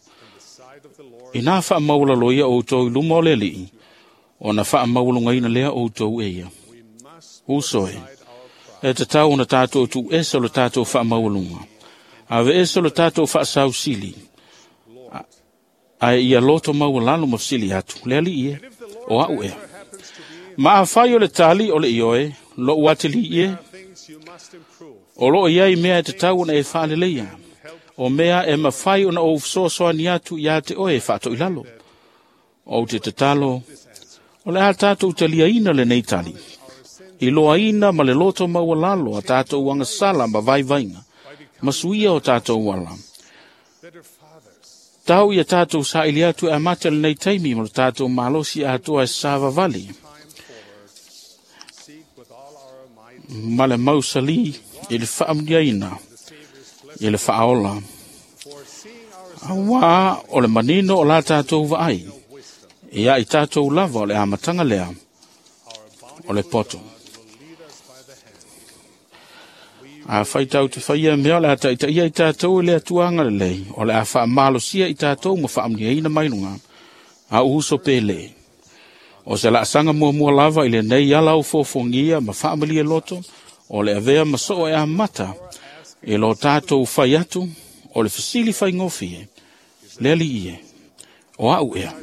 Inā faamaualalo ia outou i luma o le Alii, ona faamaualugaina lea outou e ia. Uso e, e tatau ona tatou tuuese o le tatou faamaualuga, aveese o le tatou faasausili, ae ia loto maualalo ma fesili atu, le Alii e, o a'u ea. Ma afai o le tali o le ioe, lou atalii e, o loo iai mea e tatau ona e faaleleia, o mea e mafai ona ou fesoasoani atu iā te oe e faatoilalo. Ou te tatalo, o le a tatou taliaina lenei tali, iloaina ma le loto maualalo a tatou agasala ma vaivaiga, ma suia o tatou ala. Tau ia tatou saili atu e amata lenei taimi ma le tatou malosi atoa e savavali ma le mausali i le faamanuiaina i le faaola. Auā o le manino o la tatou vaai, ia i tatou lava o le amataga lea o le poto. Afai tatou te faia mea o le a taitaia i tatou e le Atua agalelei, o le a faamalosia i tatou ma faamanuiaina mai luga, a uso pe lē. O se laasaga muamua lava i lenei ala ofofogia ma faamalie loto, o le avea ma soo e amata i lo tatou fai atu o le fesili faigofie, le Alii e, o a'u ea.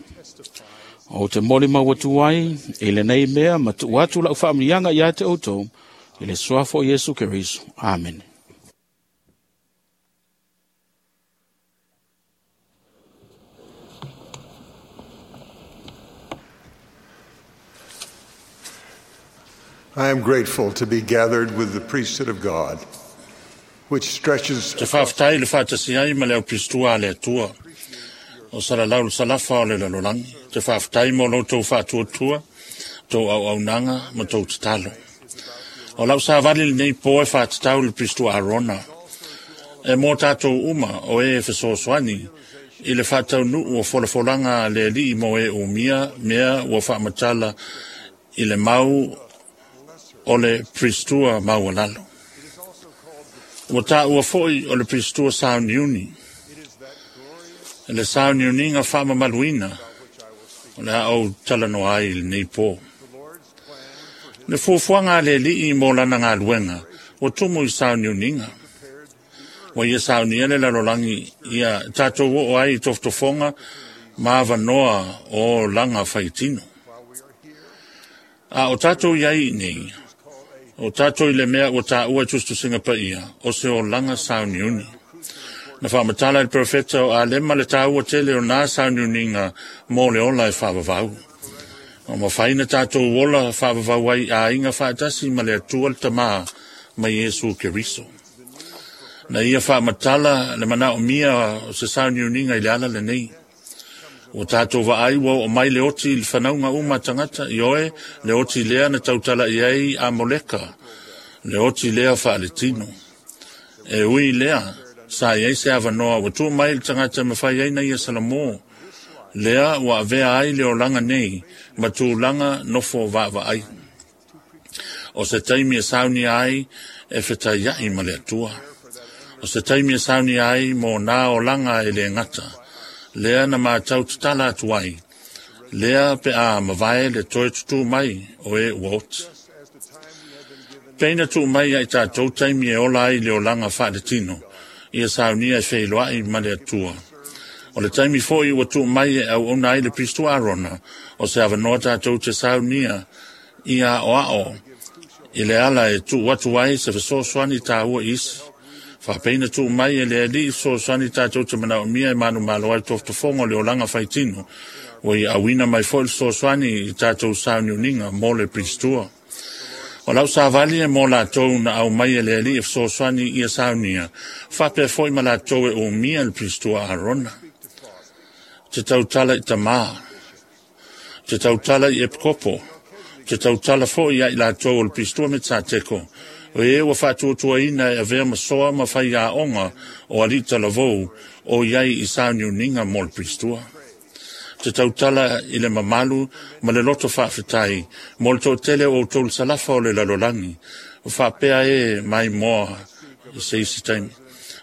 Ou te molimau atu ai i lenei mea ma tuu atu lau faamanuiaga iā te outou, i le suafa o Iesu Keriso. Amene. I am grateful to be gathered with the priesthood of God, which stretches Te faafetai i le faatasi ai ma le aupisatua a le Atua o salalau le salafa o le lalolagi. Te faafetai mo lo outou faatuatua, tou auaunaga ma tou tatalo. O lau savali lenei po e faatatau i le pisatua Arona, e mo tatou uma o e fesoasoani i le faataunuu o folafolaga a le Alii mo e umia mea ua faamatala i le mau o le pisatua maualalo. Ua taua foi o le pisatua sauniuni, le sauniuniga faamamaluina o le a ou talanoa ai i lenei po. Le fuafuaga a le Alii mo lana galuega ua tumu i sauniuniga. Ua ia saunia le lalolagi ia tatou oo ai i tofotofoga ma avanoa o laga faitino. A o tatou iai nei, o tatou i le mea ua taua i tusitusiga paia, o se olaga sauniuni. Na faamatala e le profeta o Alema le taua tele o nā sauniuniga mo le ola e faavavau. O mafai na tatou ola faavavau ai aiga faatasi ma le Atua le Tamā ma Iesu Keriso. Na ia faamatala le manaomia o se sauniuniga i le ala lenei. Ua tatou vaai ua oo mai le oti i le fanauga uma a tagata, ioe, le oti lea na tautala i ai a Moleka, le oti lea faaletino. E ui lea, sa i ai se avanoa ua tuu mai le tagata e mafai ai na ia salamo. Lea ua avea ai le olaga nei ma tulaga nofo vaavaai. O se taimi e saunia ai e fetaiai ma le Atua. O se taimi e saunia ai mo nā olaga e le gata. Lea na matau tatala atu ai. Lea pe a mavae le toe tutū mai o e ua oti. Peina tuu mai ai tātou taimi e ola ai le olaga faaletino, ia saunia e feiloai ma le Atua. O le taimi foi ua tuu mai e auauna ai le Pisto Arona, o se avanoa tātou te saunia ia aoao i le ala e tuu atu ai se fesoasoani tāua i isi. Faapeina tuu mai e le Alii fesoasoani tātou te manaomia e manumalo ai tofotofoga o le olaga faitino, ua ia auina mai foi le fesoasoani i tātou sauniuniga mo le Pistua. O lau savali e mo latou na aumai e le Alii e fesoasoani ia saunia, faapea foi ma latou e umia le Pistua Arona. Te tautala i tamā, te tautala i epikopo, te tautala foi ia i latou o le Pistua me Tateko, o e ua faatuatuaina e avea masoa ma faiaoga o alii talavou o iai i sauniuniga mo le Pistua. Te tautala i le mamalu ma le loto faafetai mo le toatele o outou le salafa o le lalolagi, o faapea e maimoa i se isi taimi.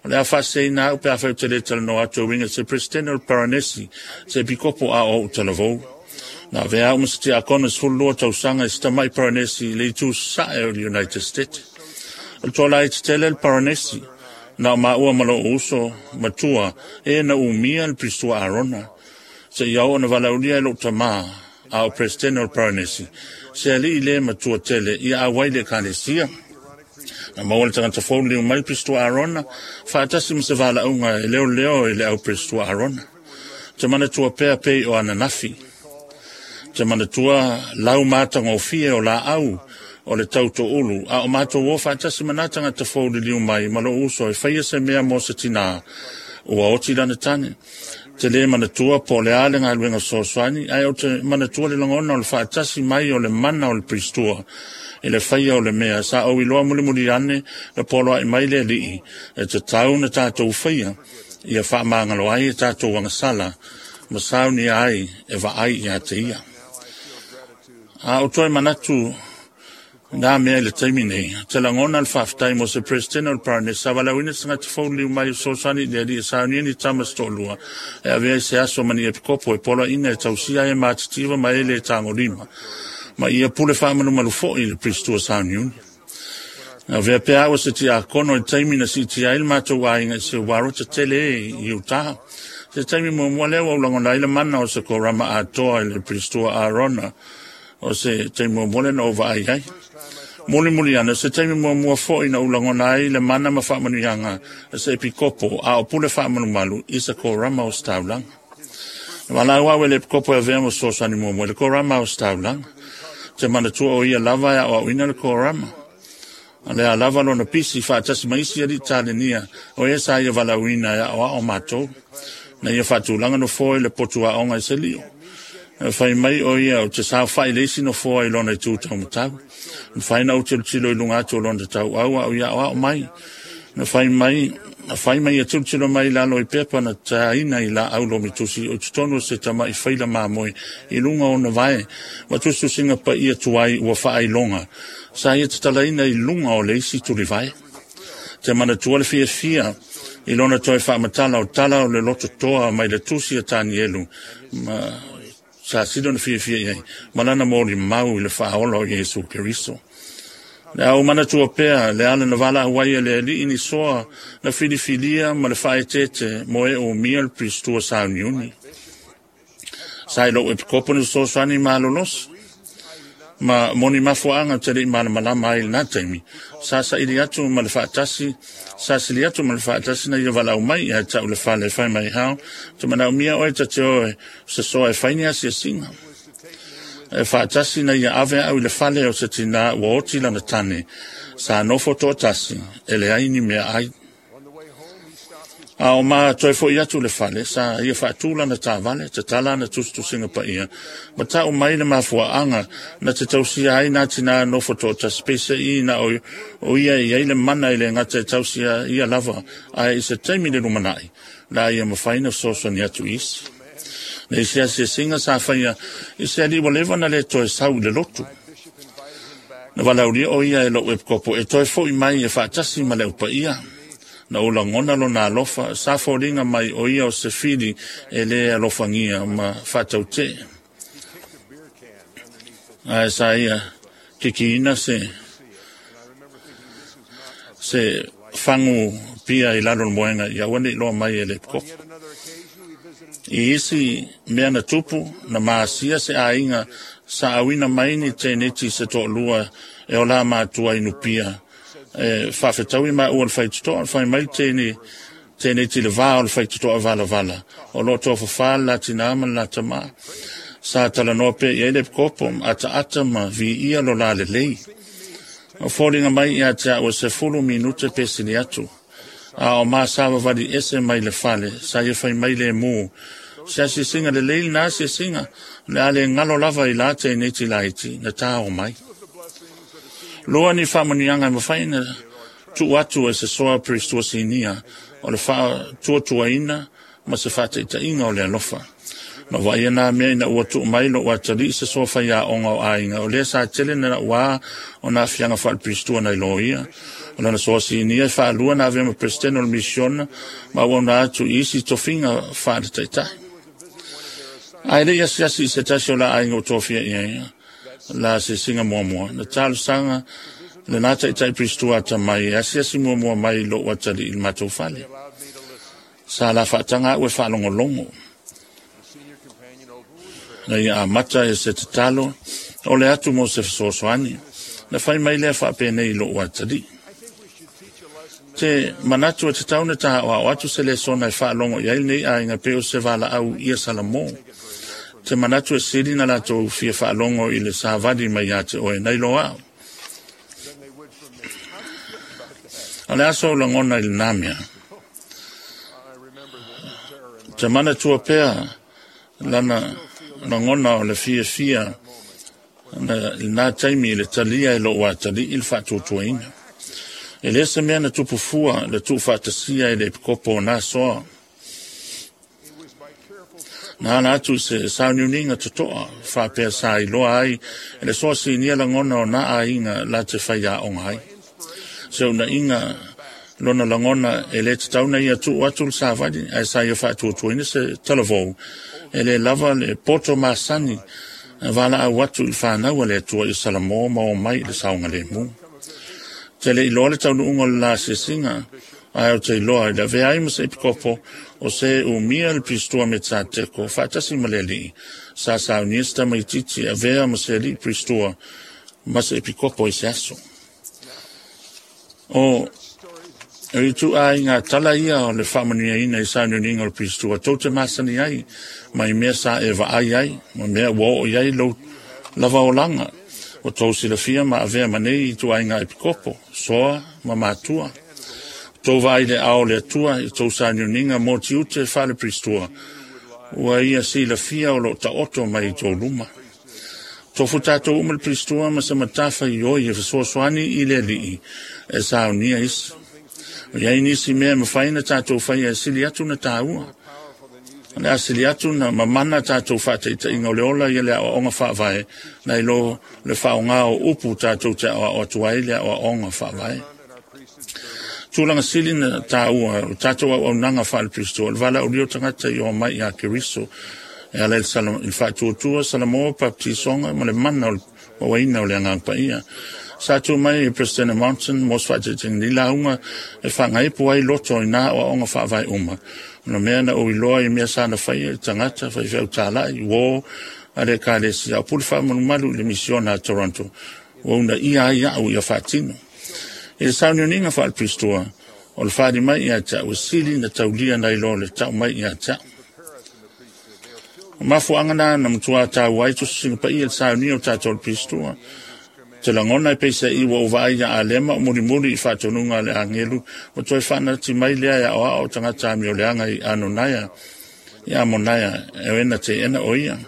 O le a faaseseina au pe afai ou te le talanoa atu e uiga i se Peresetene o le Paranesi, se epikopo a o ou talavou. Na avea au ma se tiakono 12 tausaga i se tamai Paranesi i le itu sasae o le United States. O le toa laiti tele le Paranesi, na o maua ma lou uso matua e na umia le Pistua Arona. Se ia oo na valaaulia e lou tamā, a o Peresetene o le Paranesi, se alii le matua tele ia auai le ekalesia. Na maua le tagata fou liu mai le Pistua Arona, faatasi ma se valaauga e leoleo i le au Pistua Arona. Te manatua pea pei o ananafi. Te manatua lau matagofie o laau o le tautoulu, a o matou o faatasi ma nā tagata fou liliu mai ma lou uso e faia se mea mo se tinā, ua oti lana tane. Te le manatua po o le a le galuega fesoasoani, ae ou te manatua le lagona o le faatasi mai o le mana o le Pistua i le faia o le mea sa ou iloa mulimuli ane na poloai mai le Alii e tatau na tatou faia ia faamagalo ai e tatou agasala ma saunia ai e vaai ia te ia. A o toe manatu nā mea i le taimi nei, te lagona le faafetai mo se Peresetene o le Paranesi, sa valaauina se tagata fou liu mai o fesoasoani i le Alii e saunia ni tama se toalua, e avea i se aso ma ni epikopo e poloaiina e tausia ai e matitiva ma e le tagolima, ma ia pule faamalumalu foi i le Pistua sauniuni. Na avea pea au e se tiakono i taimi na siitia ai le matou aiga i se uarota tele e i Utah. Se taimi muamua lea ua ou lagona ai le mana o se korama atoa i le Pistua Arona, o se taimi muamua lea na ou vaai ai. Mulimuli ane, o se taimi muamua foi na ou lagona ai le mana ma faamanuiaga a se epikopo a o pule faamalumalu i se korama o se taulaga. Na valaau au e le epikopo e avea ma fesoasoani muamua i le korama o se taulaga. Te manatua o ia lava e aoaoina le korama. A lea lava lona pisi faatasi ma isi alii talenia o e sa ia valaauina e aoao matou. Na ia faatulaga nofoa i le potu aoga i se lio. E fai mai o ia o te saofai le isi nofoa i lona itu taumatau. Na fai na ou tilotilo i luga atu o lona tauau a o ia aoao mai. Na fai mai ia tilotilo mai i lalo i pepa na taina i laau lomitusi o totonu o se tama'i faila mamoe i luga o ona vae ma tusitusiga paia tuai ua faailoga sa ia tatalaina i luga o le isi tulivae. Te manatua le fiafia i lona toe faamatala o tala o le loto toa mai le tusi a Tanielu ma sa sili ona fiafia i ai ma lana molimau i le faaola o Iesu Keriso. Le au manatua pea le ala na valaau ai e le Alii ni soa na filifilia ma le faaeteete mo e umia le Pistua sauniuni. Sa i lou epikopo ni fesoasoani malolosi ma moni mafuaaga te lei malamalama ai i lena taimi. Sa saili atu ma le faatasi, sa sili atu ma le faatasi na ia valaau mai ia te au le fale e fai mai hao, te manaomia oe ta te oe se soa e fai ni asiasiga. E faatasi na ia ave au i le fale o se tinā ua oti lana tane, sa nofo toatasi e leai ni meaai. A o ma toe fo'i atu i le fale, sa ia faatū lana taavale, tatala ana tusitusiga paia, ma ta'u mai le mafua'aga na te tausia ai nā tinā nofo to'atasi, peise'i na o ia e i ai le mana e lē gata e tausia ia lava, ae i se taimi i le lumana'i, o le a ia mafai ona fesoasoani atu i isi. Le isi asiasiga sa faia i se alii ua leva ona lē toe sau i le lotu. Na valaaulia o ia e lo'u epikopo e toe fo'i mai e fa'atasi ma le aupaia. Na ou lagona lona alofa, sa foliga mai o ia o se fili e lē alofagia ma fa'ataute'e. Ae sa ia kikiina se fagu pia i lalo o le moega ia aua ne i iloa mai e le epikopo. I isi mea na tupu, na masia se aiga sa auina mai ni teneti se to'alua e o la matua i Nupia e faafetaui maua le faitotoa. Fai mai le teneti i le vā o le faitotoa valavala o loo tofafā le la tinā ma le la tamā. Sa talanoa pea i ai le epikopo, ataata ma viia lo la lelei. O foliga mai ia te a'u e 10 minute pe sili atu. A o ma savavali ese mai le fale, sa ia fai mai lēmū. Se asiasiga lelei lenā asiasiga, o le a le galo lava i la teneti laiti na tā o mai. Lua ni faamanuiaga e mafai ona tuu atu e se soa Peristua Sinia o le faatuatuaina ma se faataitaiga o le alofa. Na vaaia nā mea ina ua tuu mai lo'u atalii se soa faiaoga o aiga, o lea sa tele na na'uā o na aafiaga faaleperistua nai loia. O lana soa sinia e faalua na avea ma peresetene o le misiona ma auauna atu i isi tofiga faaletaitai. Ae le'i asiasi i se tasi o la aiga ua tofia i ai la asiasiga muamua, na talosaga lenā taitai peristua atamai e asiasi muamua mai i lo'u atalii i le matou fale. Sa la faataga a'u e faalogologo. Na ia amata e se tatalo o le atu mo se fesoasoani. Na fai mai lea faapenei i lo'u atalii. Te manatu e tatau ona tā'oa'o atu se lesona e faalogo i ai lenei aiga pei o se valaau ia Salamo. Te manatu e sili na latou fia faalogo i le savali mai iā te oe nai lo a'u. O le a sou lagona i lenā mea? Te manatua pea lana lagona o le fiafia na lenā taimi i le talia e lo'u atalii le faatuatuaina. E lē se mea na tupu fua le tuufaatasia e le epikopo o nā soa. Na ala atu i se sauniuniga totoa faapea sa iloa ai e le soa sinia lagona o nā aiga la te faiaoga ai. Se una'iga lona lagona e lē tatau na ia tuu atu le savali, ae sa ia faatuatuaina se talavou e lē lava le poto masani valaau atu i le fanau a le Atua i Salamo ma o mai i le saogalēmū. Te le iloa le taunuuga o le la asiasiga, ae ou te iloa i le avea ai ma se epikopo o se umia le Peristua me Tsa-teko faatasi ma le alii, sa saunia se tamaitiiti e avea ma se alii Peristua ma se epikopo i se aso. O ituaiga tala ia o le faamanuiaina i sauniuniga o le Peristua tou te masani ai mai mea sa e vaai ai ma mea ua oo i ai lou lava olaga. Ua tou silafia ma avea ma nei ituaiga epikopo, soa ma matua. Tou vaai i le ao o le Atua i tou sauniuniga mo tiute faale-Peristua ua ia silafia o loo taoto mai i tou luma. Tofu tatou uma le Peristua ma se matafaioi e fesoasoani i le alii e saunia isi. O i ai nisi mea e mafai ona tatou faia e sili atu na tāua. O le a sili atu na mamana tatou faataitaiga o le ola ia le aoaoga faavae nai lo le faaaogā o upu tatou te aoao atu ai le aoaoga faavae. Tulaga sili na tāua o tatou auaunaga faale-Peristua, o le valaaulia o tagata i o mai iā Keriso e ala i le faatuatua Salamo, baptisoga ma le mana o le mauaina o le Agaga Paia. Sa tu mai e Presidente Monson mo se faataitaiga nei lauga e faagaipu ai loto i nā aoaoga faavae uma. O le mea na ou iloa i mea sa na faia i tagata faifeau tāla'i, uō a le Ekalesia, o pule faamalumalu i le misiona a Toronto, ua uunaia ai a'u ia faatino. I le sauniuniga faale-Peristua, o le fali mai ia te a'u e sili na taulia nai lo le ta'u mai ia te a'u. O mafuaaga na na matuā taua ai tusitusiga paia i le saunia o tatou o le Peristua. Te lagona e peiseai ua ou vaai iā Alema o mulimuli i faatonuga a le agelu, ua toe faanati mai lea e aoao tagata amioleaga i Anonaia, i Amonaia, e o e na teena o ia.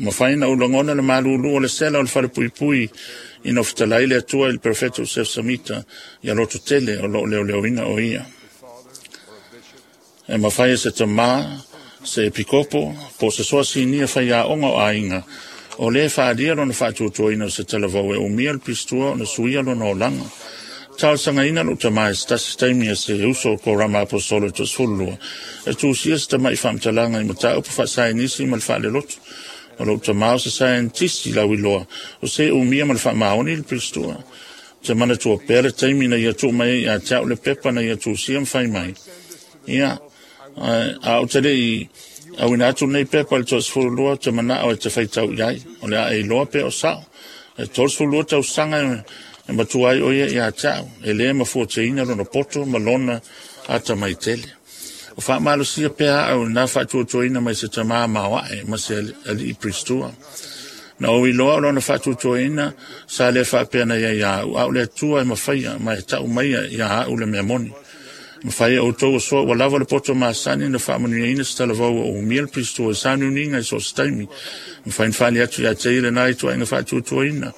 Mafai na ou lagona le malulu o le sela o le falepuipui ina o fetalai le Atua i le Perofeta o Joseph Samita ia loto tele o lo o leoleoina o ia. E mafai e se tamā, se epikopo, po o se soa sinia faiaoga o aiga, o lē faaalia lona faatuatuaina o se talavou e umia le pistua ona suia lona olaga. Talosagaina lou tamā i se tasi taimi e se uso o Korama Aposolo e 12 e tusia se tama'i faamatalaga i mataupu faasaenisi ma le faalelotu. O lou tamā o se saienitisi lauiloa o se umia ma le faamaoni le pistua. Ou te manatua pea le taimi na ia tuu mai ai ia te au le pepa na ia tusia ma fai mai. Ia, a ou te le i auina atu lenei pepa i le 32, ou te manao e te faitau i ai. O le a e iloa pe o sao. E 32 tausaga e matua ai o ia ia te au, e lē mafuateina lona poto ma lona atamai tele. O faamalosia pea au i lena faatuatuaina mai se tamā maoae ma se alii Pristua. Na ou iloa o lona faatuatuaina sa le faapea na ia ia au, a o le Atua e mafaia ma e tau maia ia au le mea moni. Mafai e outou o soa ua lava le poto masani na faamanuiaina se talavou ua umia le Pristua i sauniuniga i so o se taimi. Mafai na faali atu ia te ia lena ituaiga faatuatuaina.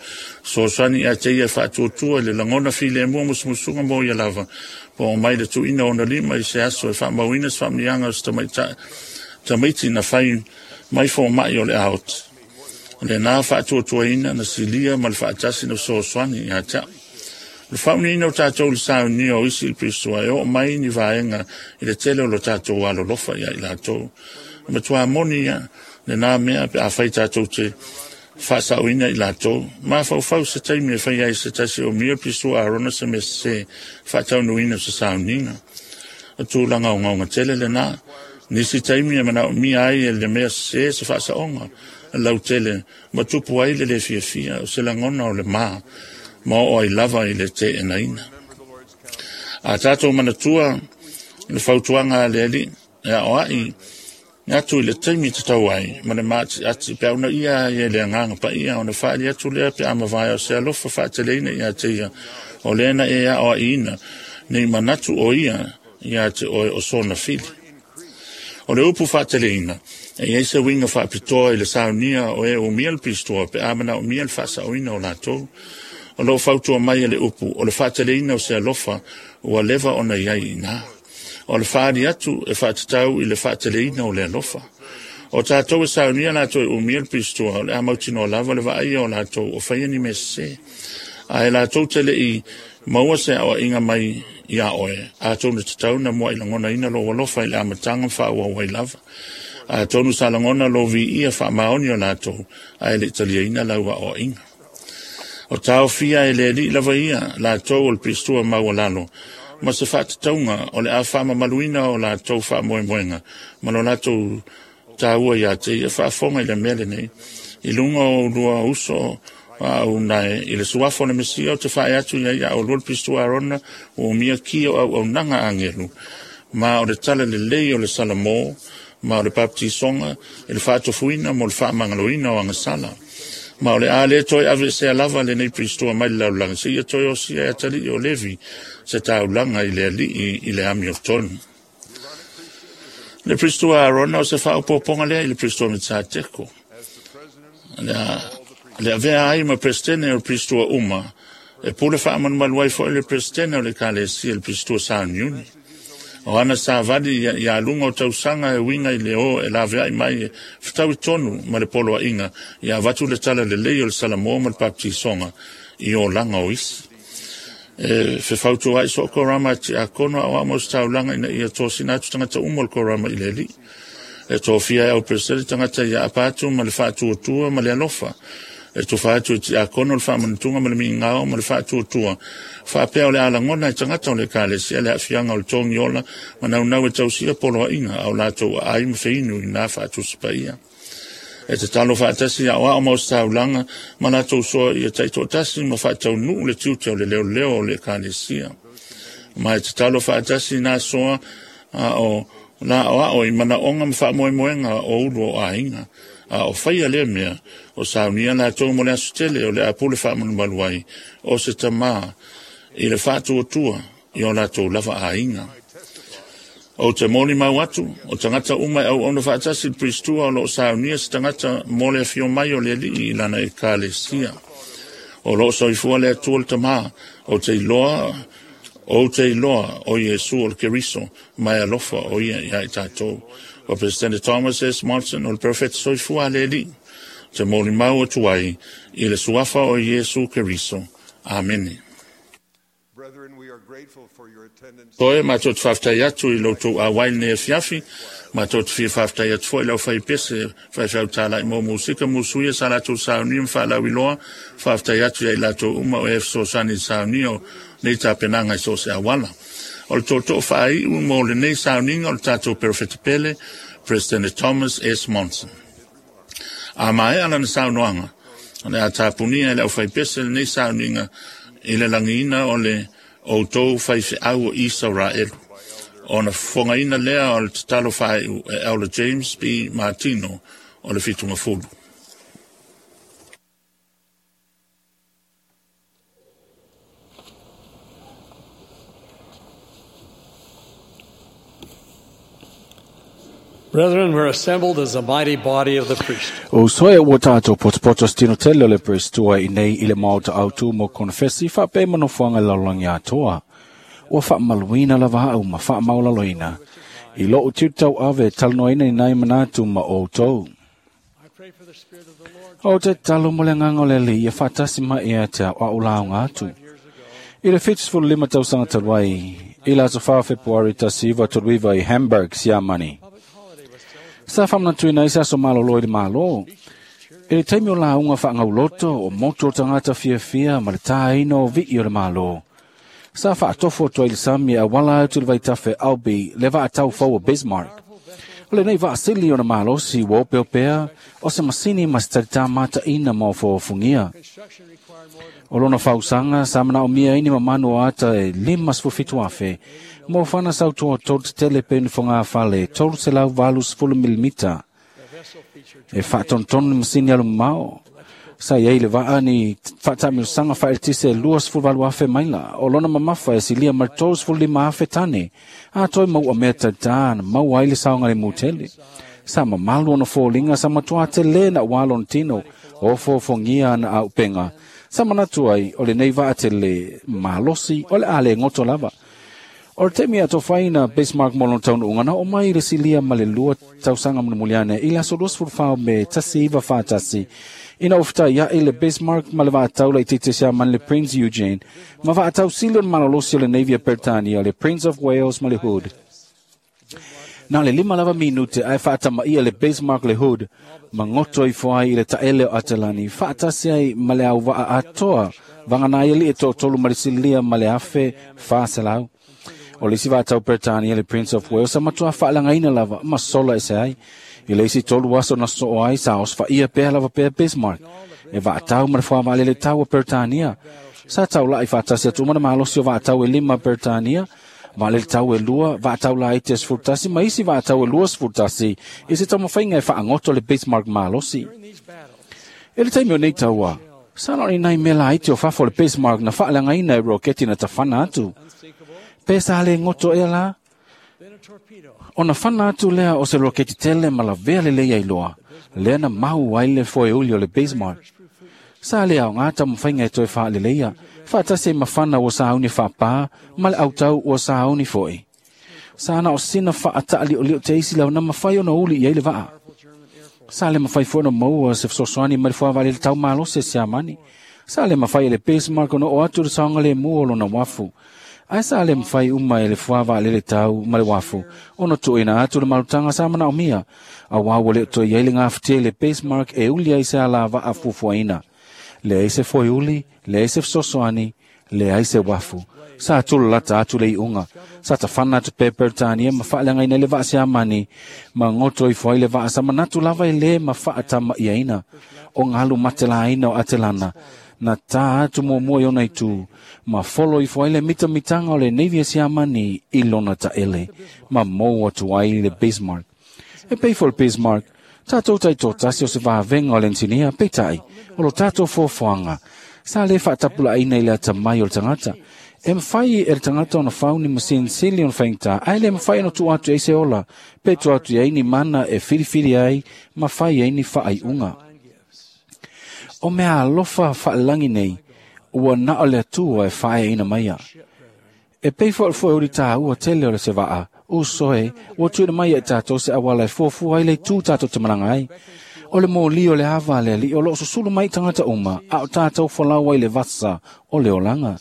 Fesoasoani ia te ia e faatuatua i le lagona filemu o musumusuga mo ia lava, po o mai le tuuina o ona lima i se aso e faamauina se faamanuiaga o se tamaitai tamaiti na fai mai fomai o le aoti. O lena faatuatuaina na silia ma le faatasi na fesoasoani ia te au. O le faauniina o tatou i le saunia o isi i le Pisoa e oo mai ni vaega i le tele o lo tatou alolofa ia i latou. E matua moni ia lena mea pe afai tatou te faasaoina i latou. Mafaufau se taimi e fai ai se tasi o mia Pisoa Arona se mea sese faataunuina o se sauniga. O tulaga ogaoga tele lena. Nisi taimi e manaomia ai e le mea sese se faasaoga lautele ma tupu ai le lē fiafia o se lagona o le ma ma oo ai lava i le teenaina. A tatou manatua le fautuaga a le Alii e aoai atu i le taimi tatau ai ma le maatiati pe a uunaia ai e le Agaga Paia ona faaali atu lea pe a mavae o se alofa faateleina ia te ia o lea na e aoaiina nei manatu o ia ia te oe o sona fili. O le upu faateleina, e i ai se uiga faapitoa i le saunia o e umia le pistoa pe a manaomia le faasaoina o latou. O lo o fautua mai e le upu, o le faateleina o se alofa ua leva ona i ai i ina. O le faaali atu e faatatau i le faateleina o le alofa. O tatou e saunia latou e umia le pistoa, o le a mautinoa lava le vaaia o latou o faia ni mea sese. Ae latou te le i maua se aoaiga mai iā oe, atonu e tatau na muai lagonaina lou alofa i le amataga ma faaauau ai lava. Atonu sa lagona lou viia faamaoni o latou, ae le i taliaina lau aoaiga. O taofia e le Alii lava ia latou o le pistua maualalo, ma se faatatauga o le a faamamaluina o latou faamoemoega ma lo latou taua ia te ia. Faafofoga i le mea lenei, i luga o oulua uso a au nae i le suafa o le Mesia, ou te faaee atu i ai ia oulua le pistua Arona ua umia ki o auaunaga agelu, ma o le tala lelei o le Salamo, ma o le baptisoga i le faatofuina mo le faamagaloina o agasala. Ma o le a le toe aveesea lava lenei pistoa mai le lalolagi, seia toe osia e atalii o Levi se taulaga i le Alii i le amiotonu. Le pistoa Arona o se faaopoopoga lea i le pistoa Metsateko. Le avea ai ma Peresetene o le pistoa uma, e pule faamalumalu ai foi le Peresetene o le Ekalesia i le pistoa sauniuni. O ana savali ia luga o tausaga e uiga i le o e laveai mai e fetaui tonu ma le poloaiga ia avatu le tala lelei o le Salamo ma le baptisoga i olaga o isi. E fefautuaai soo korama e tiakono aoao ma ositaulaga ina ia tosina atu tagata uma o le korama i le Alii. E tofia e au Peresetene tagata ia apa atu ma le faatuatua ma le alofa. E tufa atu e tiakono le faamanatuga ma le migao ma le faatuatua. Faapea o le a lagona e tagata o le Ekalesia le aafiaga o le togiola ma naunau e tausia poloaiga a o latou aai ma feinu i na faatusi paia. E tatalo faatasi aoao ma ositaulaga ma latou soa ia taitoatasi ma faataunuu le tiute o le leoleo o le Ekalesia. Ma e tatalo faatasi na soa a o Na o ao i mana onga mwha o ulu o ainga. A o whaia lea mea o saunia la tō mo le aso tele o le apule wha manumalu ai o se tamā i le whātua i o la tō lava ainga. O te mōli mau atu, o tangata umai au ona whaatasi pristua o lo saunia se tangata mo le whio mai o le lii i lana e kalesia. O lo soifua le atua le tamā o te iloa o Iesu o le Keriso mai alofa o ia ia i tātou. O President Thomas S. Monson o le Perfect Soifua le li. Te mōli mau atu ai i le suafa o Iesu Keriso. Amene. Toe mātou te whaftai atu i lautou a wail nei fiafi, mātou te fia whaftai atu foi lau whai pese, whai whau tālai mō musika, musuia sa latou saunia mwhalau iloa, whaftai atu ia i latou uma o e sosani saunia o nei tāpenanga i so se awala. O le tōtō whaai u mō le nei sauninga o le tātou Perfect Pele, President Thomas S. Monson. A mae ala na saunoanga, o le a tāpunia e le au whai pese le nei sauninga i le langiina o le o tō whai au o Israel. O na whangaina lea o le tatalo whai e Elder James B. Martino o le whitunga fulu. Brethren, we're assembled as a mighty body of the priesthood. O soe ua tātou potopoto stino tele o le prestua i nei i le maota autu mo konfesi wha pe manofuanga lalongi atoa. Ua wha maluina lava au ma wha maulaloina. I lo ututau ave talanoina i nai manatu ma o tau. O te talo mo le nganga o le li ia whatasi ma ea te au launga atu. I le 75 tausanga talwai, i la aso 4 Februari tasiva toluiva i Hamburg, Siamani. Sa whamnatui nei sa so malo loi le malo. E le taimi o la unga whaangauloto o moto o tangata fia fia ma le tāina o vii o le malo. Sa whaatofo tua i le sami a wala atu le vaitafe Albi le vaatau fau o Bismarck. O le nei vaasili o na malosi wa opeo pea o se masini ma se tarita mata ina ma o foofungia. O lona fausanga sa mana o mia ini mamanu o ata e 57 afe. Mo whana sautoa tolu tele penu whanga whale, 380 milimita. E whaatontonu masini alu mao. Sa iei le waa ni whaatamilosanga whaeltise 28 afe maila. O lona mamafa e silia mar 35 afe tane. A toi mau a mea tata na mau ai le saonga le mutele. Sa mamalu ona fōlinga sa matua te le na walon tino o fōfongia na au penga. Sa manatu ai o le nei waa te le malosi o le ale ngoto lava. O le taimi a tofaina Bismarck mo lona taunuuga na oo mai le silia ma le lua tausaga mulimuliane i le aso 24 Me 1941 ina ua fetai le Bismarck ma le vaatau laitiiti siamani le Prince Eugene ma vaatau sili o le malolosi o le Navy a Peretania le Prince of Wales ma le Hood. Na le 5 lava minute ae faatamaia le Bismarck le Hood ma goto ifo ai i le taele o Atalani faatasi ai ma le auvaa atoa vagana ai alii e toatolu ma le silia ma le 1400. O le isi vaatau Peretania le Prince of Wales sa matuā faalagaina lava ma sola ese ai. I le isi 3 aso na soo ai sa osofa'ia pea lava pea Bismarck. E vaatau ma le fuavaalele tau a Peretania. Sa taula'i faatasi atu uma na malosi o vaatau e 5 Peretania. Vaalele tau e 2, vaatau laiti e 11 ma isi vaatau e 21 i se taumafaiga e faagoto le Bismarck malosi. E le taimi o nei tauā, sa na o ni nai mea laiti o fafo le Bismarck na faalagaina e roketi na tafana atu. Pe sa le ngoto ea la. Ona fana atu lea o se roketi tele ma lavea lelei ai loa. Lea na mahu ai le foeuli o le Bismarck. Sa le ao ngā taumafaiga e toe faaleleia. Faatasi ai mafana ua sauni faapā ma le autau ua sauni fo'i. Sa na o sina faataaliolio te isi lau na mafai ona uli i ai le vaa. Sa le mafai foi ona maua se fesoasoani mai le fuavalele tau malosi e Siamani. Sa le mafai e le Bismarck ona oo atu le saogalemu o lona uafu. Ae sa le mafai uma e le fuavaalele tau ma le uafu ona tuuina atu le malutaga sa manaomia. Auā ua le o toe iai le gafatia i le Bismarck e uli ai se alavaa fuafuaina. Leai se foeuli, leai se fesoasoani, leai se uafu. Sa tulalata atu le iuga. Sa tafana atu pea Peretania ma faaleagaina i le vaa Siamani ma goto ifo ai le vaa sa manatu lava e lē ma faatamaiaina o galu matelaina o Atelana na tā atu muamua i ona itu ma folo ifo ai le mitamitaga o le Navy a Siamani i lona taʻele ma mou atu ai le Bismarck. E pei foi le Bismarck, tatou taitōtasi o se vavega o le ensinia, peitai, o lo tatou foafoaga, sa lē faatapulaaina i le atamai o le tagata. E mafai e le tagata ona fau ni masini sili ona faigata, ae le mafai ona tuu atu ai se ola, pe tuu atu ai ni mana e filifili ai ma fai ai ni faaiuga. O mea alofa faalelagi nei, ua na o le Atua e faaeaina maia. E pei foi o le foeuli tāua tele o le sevaa, uso e, ua tuuina mai e tatou se auala e fuafua ai le itu tatou te malaga ai. O le moli o le ava a le Alii o loo susulu mai i tagata uma, a o tatou folau ai le vasa o le olaga.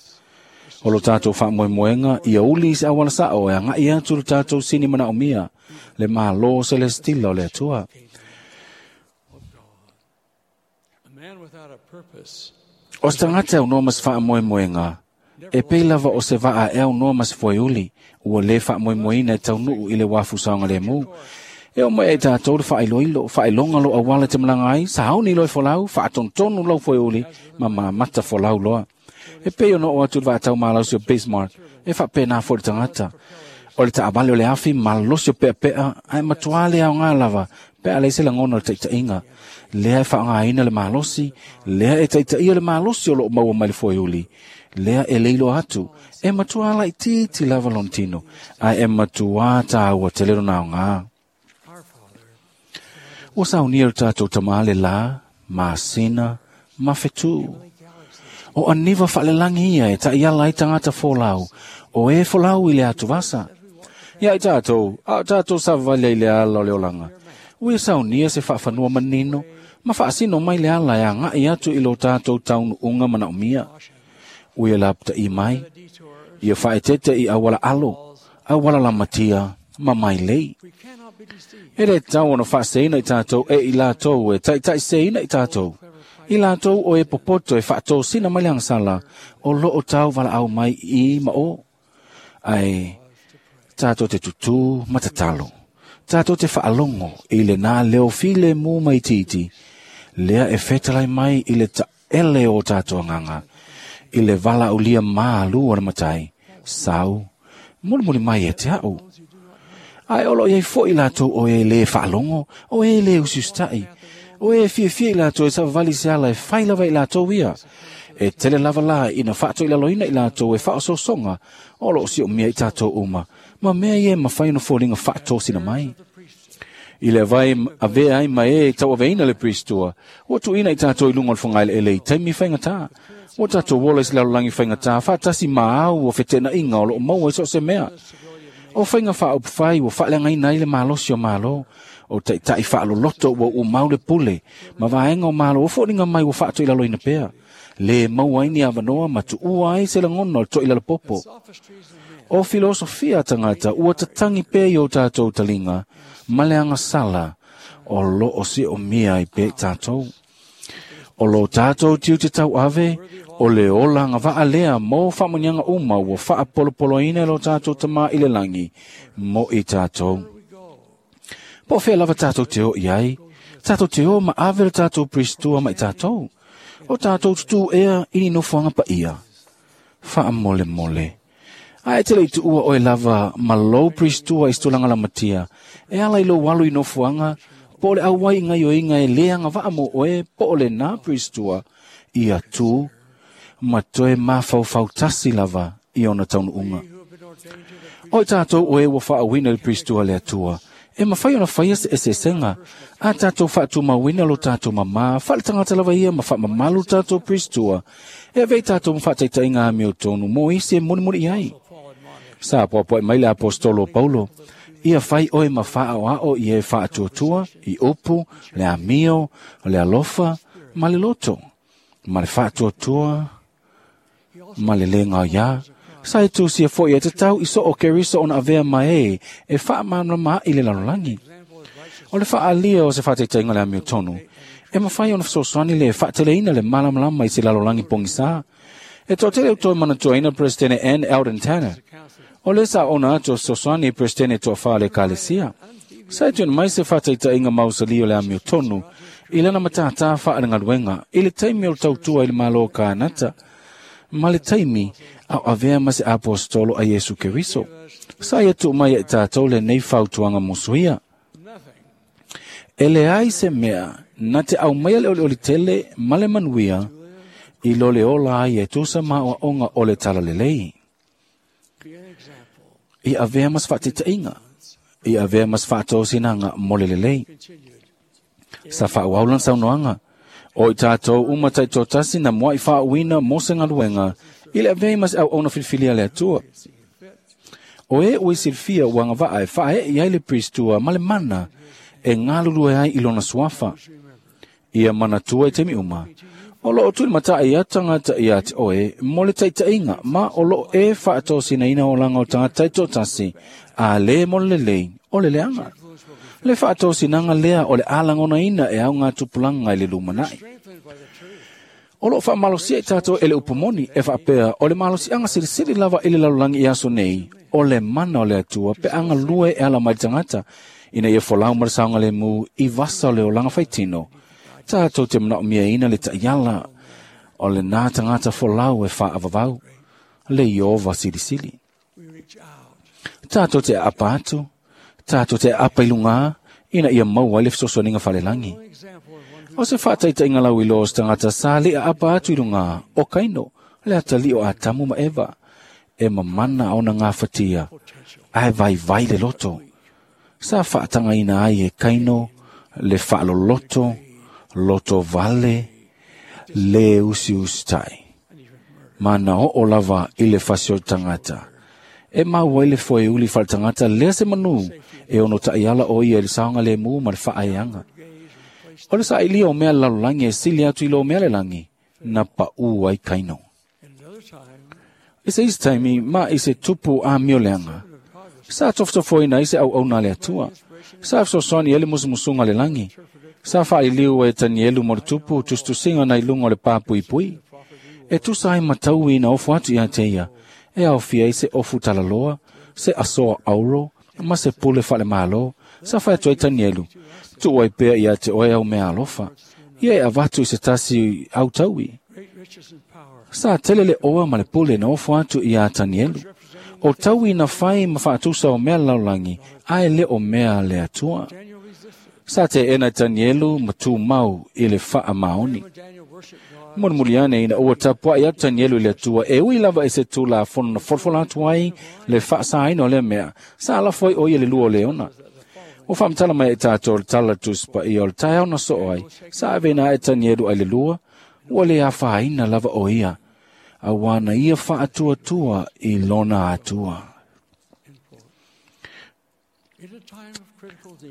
O lo tatou faamoemoega ia uli i se auala sao e agai atu le tatou sini manaomia, le Mālō Selestila o le Atua. A man without a purpose O se tagata e aunoa ma se faamoemoega, e pei lava o se vaa e aunoa ma se foeuli, ua lē faamoemoeina e taunuu i le uafu saogalēmū. E oo mai ai tatou le faailoilo, faailoga lo auala e te malaga ai, sauni loa e folau, faatonutonu lau foeuli, ma mamata folau loa. E pei ona oo atu i le vaatau malausi o Bismarck, e faapena foi le tagata. O le taavale o le afi malosi o peapea, ae matuā le aogā lava, pe a leai se lagona o le taitaiga. Lea e faaaogāina le malosi, lea e taitaia le malosi o loo maua mai le foeuli, lea e leiloa atu, e matuā laitiiti lava lona tino, ae e matuā tāua tele lona aogā. Ua saunia le tatou tamā le lā, masina, ma fetū. O aniva faalelagi ia e taiala ai tagata folau, o e folau i le atuvasa. Ia i tatou, a o tatou savavali ai i le ala o le olaga. Ua ia saunia se faafanua manino, ma faasino mai le ala e agai atu i lo tatou taunuuga manaomia. Ua ia lapataʻi mai, ia faaeteete i auala alo, auala lamatia, ma mailei. we cannot be deceived. E lē tau ona faaseseina i tatou e i latou e taitaiseseina i tatou. I latou o e popoto e faatosina mai le agasala, o loo tau valaau mai i ma o. Ae tatou te tutū ma tatalo. Tatou te faalogo i lenā leo filemu ma itiiti, lea e fetalai mai i le taele o tatou agaga, i le valaaulia mālū o le Matai, sau, mulimuli mai ia te a'u. Ae o loo iai foi latou o e lē faalogo, o e lē usiusitai, o e fiafia i latou e savavali i se ala e fai lava i latou ia. E tele lava la ina faatoilaloina i latou e faaosoosoga o loo siomia i tatou uma, ma mea ia e mafai ona foliga faatosina mai. I le vai avea ai ma e tauaveina le Priestua, ua tuuina i tatou i luga o le fogaeleele i taimi faigata. Ua tatou ola i se lalolagi faigata, faatasi ma au o feteenaiga o loo maua i so o se mea. O faiga faaupufai ua faaleagaina ai le malosi o Malo, o taitai faaloloto ua umau le pule, ma vaega o Malo ua foliga mai ua faatoilaloina pea. Lē maua ai ni avanoa ma tuua ai se lagona o le toilalopopo. O filosofia a tagata ua tatagi pea i o tatou taliga ma le agasala o loo siomia ai pea i tatou. O lo tatou tiute tauave, o le ola agavaa lea mo faamanuiaga uma ua faapolopoloina e lo tatou Tamā i le lagi mo i tatou. Po o fea lava tatou te o i ai, tatou te o ma ave le tatou Priestua ma i tatou. O tatou tutū ea i ni nofoaga paia. Faamolemole. Ae te le i tuua oe lava ma lou Priestua i se tulaga lamatia, e ala i lou alu i nofoaga, po o le auai i gaioiga e lē agavaa mo oe, po o lenā Priestua, ia tū ma toe mafaufau tasi lava i ona taunuuga. O i tatou o e ua faauuina i le Priestua a le Atua, e mafai ona faia se eseesega, a tatou faatumauina lo tatou mamā faaletagata lava ia ma faamamalu le tatou Priestua, e avea i tatou ma faataitaiga amiotonu mo isi e mulimuli i ai. Sa poapoaʻi mai le aposetolo o Paulo, ia fai oe ma faaoao i e faatuatua, i upu, le amio, le alofa, ma le loto, ma le faatuatua, ma le lē gaoiā. Sa e tusia foi e tatau i so o Keriso ona avea ma e e faamalamalama ai le lalolagi. O le faaalia o se faataitaiga o le amiotonu, e mafai ona fesoasoani le faateleina le malamalama i se lalolagi pogisā. E toatele o toe manatuaina Presidente Ann Eldon Tanner. O le sa ona atu o fesoasoani i Presidente toafā o le Ekalesia. Sa e tuuina mai se faataitaiga mausali o le amiotonu i lana matātā faalegaluega i le taimi o le tautua i le Malo o Kānata ma le taimi a o avea ma se aposetolo a Iesu Keriso. Sa ia tuu mai ia i tātou lenei fautuaga musuia. E leai se mea na te aumaia le olioli tele ma le manuia i lo le ola ai e tusa ma aoaoga o le Talalelei. Ia avea ma se faataitaiga, ia avea ma se faatosinaga mo le lelei. Sa faaauau lana saunoaga, O i tātou uma taitoatasi na mua'i faauuina mo se galuega i le avea ai ma se auauna filifilia a le Atua. O e ua i silafia ua agavaa e faaee i ai le Pristua ma le mana e galulue ai i lona suafa. Ia manatua i taimi uma, o loo tulimatai ia tagata ia te oe mo le taitaiga ma o loo e faatosinaina olaga o tagata taitoatasi a le mo le lelei o le leaga. Le faatosinaga lea o le a lagonaina e augatupulaga i le lumanai. O loo faamalosia i tatou e le upu moni e faapea o le malosiaga silisili lava i le lalolagi i aso nei o le mana o le Atua pe a galue e ala mai le tagata ina ia folau ma le saogalemu i vasa o le olaga faitino. Tatou te manaomiaina le taiala o lenā tagata folau e faaavavau, le Ieova silisili. Tatou te aapa atu, tatou te aapa i lugā, ina ia maua ai le fesoasoaniga falelagi. O se faataitaiga lauiloa o se tagata sa le aapa atu i lugā, o Kaino, le atalii o Atamu ma Eva, e mamana ona gafatia, ae vaivai le loto. Sa faatagaina ai e Kaino le faaloloto, loto vale, le usiusitai. Ma na oo lava i le fasi o le tagata. E maua ai le foeuli faaletagata lea se manū e ono taiala o ia i le saogalēmū ma le faaeaga. O le saailia o mea le lalolagi e sili atu i lo mea le lagi, na paū ai Kaino. I se isi taimi ma i se tupu amioleaga, sa tofotofoina ai se auauna a le Atua. Sa fesoasoani ai le musumusuga a le lagi. Sa faaliliu ai e Tanielu mo le tupu tusitusiga nai luga o le papuipui. E tusa ai ma taui na ofo atu ia te ia, e aofia ai se ofu talaloa, se asoa auro, ma se pule faalemālō, sa fai atu ai Tanielu, Tuu ai pea ia te oe au mea alofa, ia e avatu i se tasi au taui. Sa tele le oa ma le pule na ofo atu iā Tanielu. O taui na fai ma faatusa o mea lalolagi, ae le o mea le Atua. Sa teena e Tanielu ma tumau i le faamaoni. Mulimuli ane ina ua tapuai atu Tanielu i le Atua, e ui lava i se tulafono na folafola atu ai le faasaina o lea mea, sa lafo ai o ia le lua o leona. Ua faamatala mai e tātou le tala Tusi Paia o le taeao na soo ai, sa aveina ae Tanielu ai le lua, ua le afaina lava o ia, auā na ia faatuatua i lona Atua.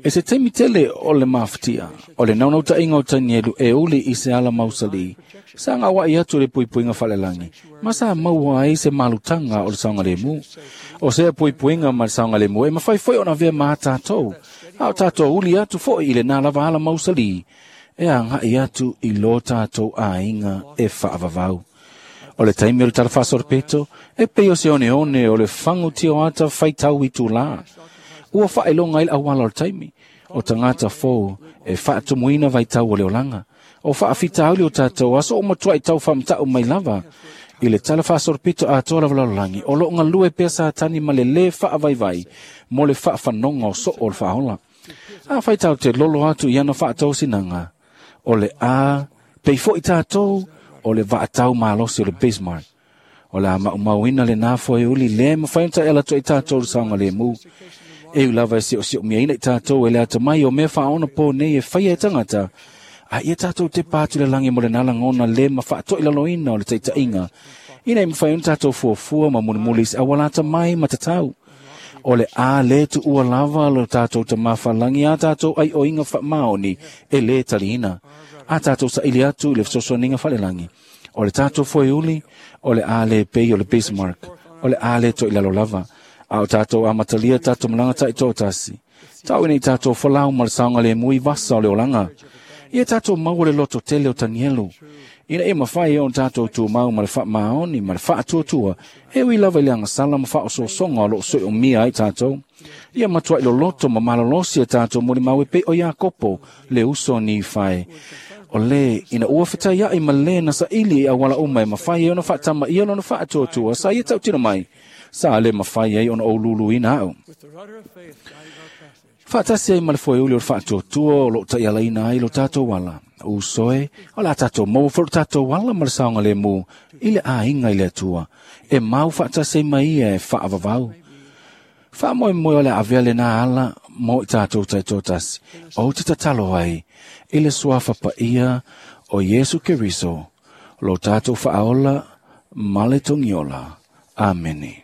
E se taimi tele o le mafatia, o le naunautaiga o Tanielu e uli i se ala mausali, sa gaua'i atu i le puipuiga falelagi, ma sa maua ai se malutaga o le saogalēmū. O sea puipuiga ma le saogalēmū e mafai foi ona avea ma a tātou, a o tātou uli atu foi i lenā lava ala mausali, e agaʻi atu i lo tātou aiga e faavavau. O le taimi o le tala faasolopito, e pei o se oneone o le fagu tioata faitau itulā. Ua faailoga ai le auala o le taimi, o tagata fou e faatumuina vaitau o le olaga. O faafitauli o tātou aso o matuai tau faamata'u mai lava i le tala faasolopito atoa lava lalolagi, o loo galue pea Satani ma le lē faavaivai mo le faafanoga o soo o le faaola. Afai tatou te lolo atu i ana faatosinaga, o le a pei foi tātou o le vaatau malosi o le Bismarck. O le a maumauina lenā foeuli lē mafai ona taʻiala atu ai tātou i le saogalēmū. E ui lava e siosiomia i tātou e le atamai o mea faaonapō nei e faia e tagata, a ia tātou tepa atu i le lagi mo lenā lagona lē ma faatoʻilaloina o le taitaiga, ina ia mafai ona tātou fuafua ma mulimuli i se auala atamai ma tatau. O le a lē tuua lava lo tātou Tamā Faalagi a tātou aioiga faamaoni e lē taliina, a tātou saili atu i le fesoasoaniga falelagi. O le tātou foeuli, o le a lē pei o le Bismarck, o le a lē toʻilalo lava, a o tātou amatalia tātou malaga taitoatasi. Tau ina i tātou folau ma le saogalēmū i vasa o le olaga. Ia tātou maua le loto tele o Tanielu, Ina ia mafai ai ona tatou tumau ma le faamaoni ma le faatuatua, e ui lava i le agasala ma faaosoosoga o loo soiomia ai tatou. Ia matuai loloto ma malolosi e tatou molimau e pei o Iakopo le uso o Nifai. O lē ina ua fetaiaʻi ma lē na saʻili i auala uma e mafai ai ona faatamaia lona faatuatua sa ia tautino mai, sa lē mafai ai ona ou luluina aʻu. Faatasi ai ma le foeuli o le faatuatua o loo taialaina ai lo tatou ala. Uso e, o le a tatou maua foi lo tatou ala ma le saogalemu i le aiga i le Atua, e mau faatasi ai ma ia e faavavau. Faamoemoe o le a avea lenā ala mo i tatou taitoatasi, ou te tatalo ai i le suafa paia o Iesu Keriso, lo tatou faaola ma le togiola. Amene.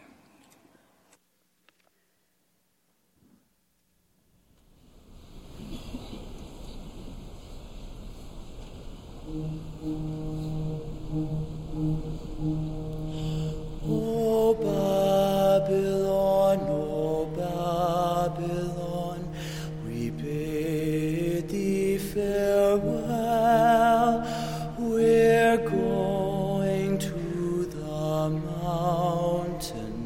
O Babylon, O Babylon, we bid thee farewell. We're going to the mountain.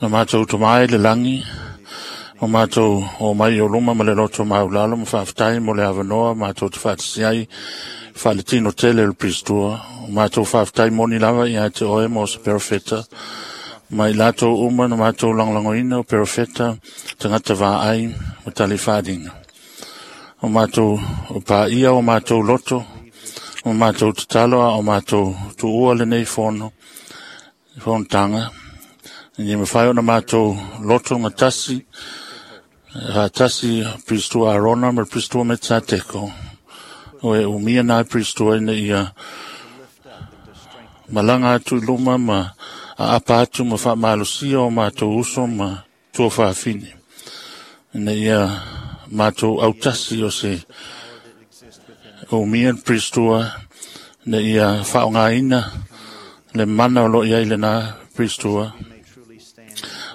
Na matou tomai le lagi, o matou o mai o luma ma le loto maulalo ma faafetai mo le avanoa matou te faatasi ai faaletino tele o le Pristua. O matou faafetai moni lava ia te oe mo se perofeta, ma i latou uma na matou lagolagoina o perofeta, tagata vaai ma talifadinga. O matou o paia o matou loto, o matou tatalo a o matou tuua lenei fono, fonotaga, ina ia mafai ona matou loto gatasi, faatasi Pristua Arona ma le Pristua Metasateko, o e umia na Pristua ina ia malaga atu i luma ma aapa atu ma faamalosia o matou uso ma tuafafine, ina ia matou autasi o se umia le Pristua, ina ia faaaogaina le mana o lo o i ai lena Pristua.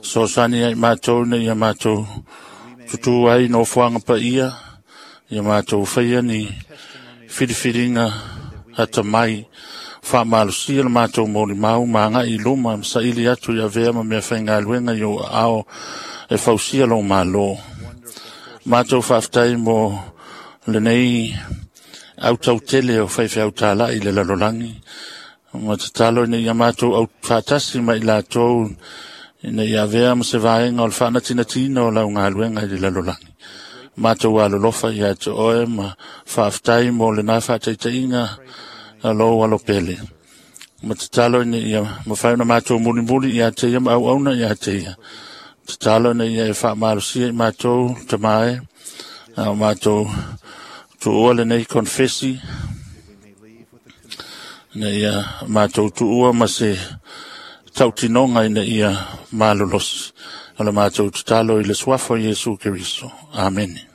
Fesoasoani ai matou ina ia matou tutu ai i nofoaga paia, ia matou faia ni filifiliga atamai, faamalosia le matou molimau ma agai i luma ma saili atu i avea ma mea faigaluega i ou aao e fausia lou malo. Matou faafetai mo lenei autautele o faifeau talai i le lalolagi, ma tatalo ina ia matou aufaatasi ma i latou ina ia avea ma se vaega o le faanatinatiina o lau galuega i le lalolagi. Matou alolofa ia te oe ma faafetai mo lena faataitaiga a lou alo pele. Ma tatalo ina ia mafai ona matou mulimuli ia te ia ma auauna ia te ia. Tatalo ina ia e faamalosia i matou, Tama e, a o matou tuua lenei konfesi, ina ia matou tuua ma se tautinoga ina ia malolosi. O le matou tatalo i le suafa o Iesu Keriso. Amene.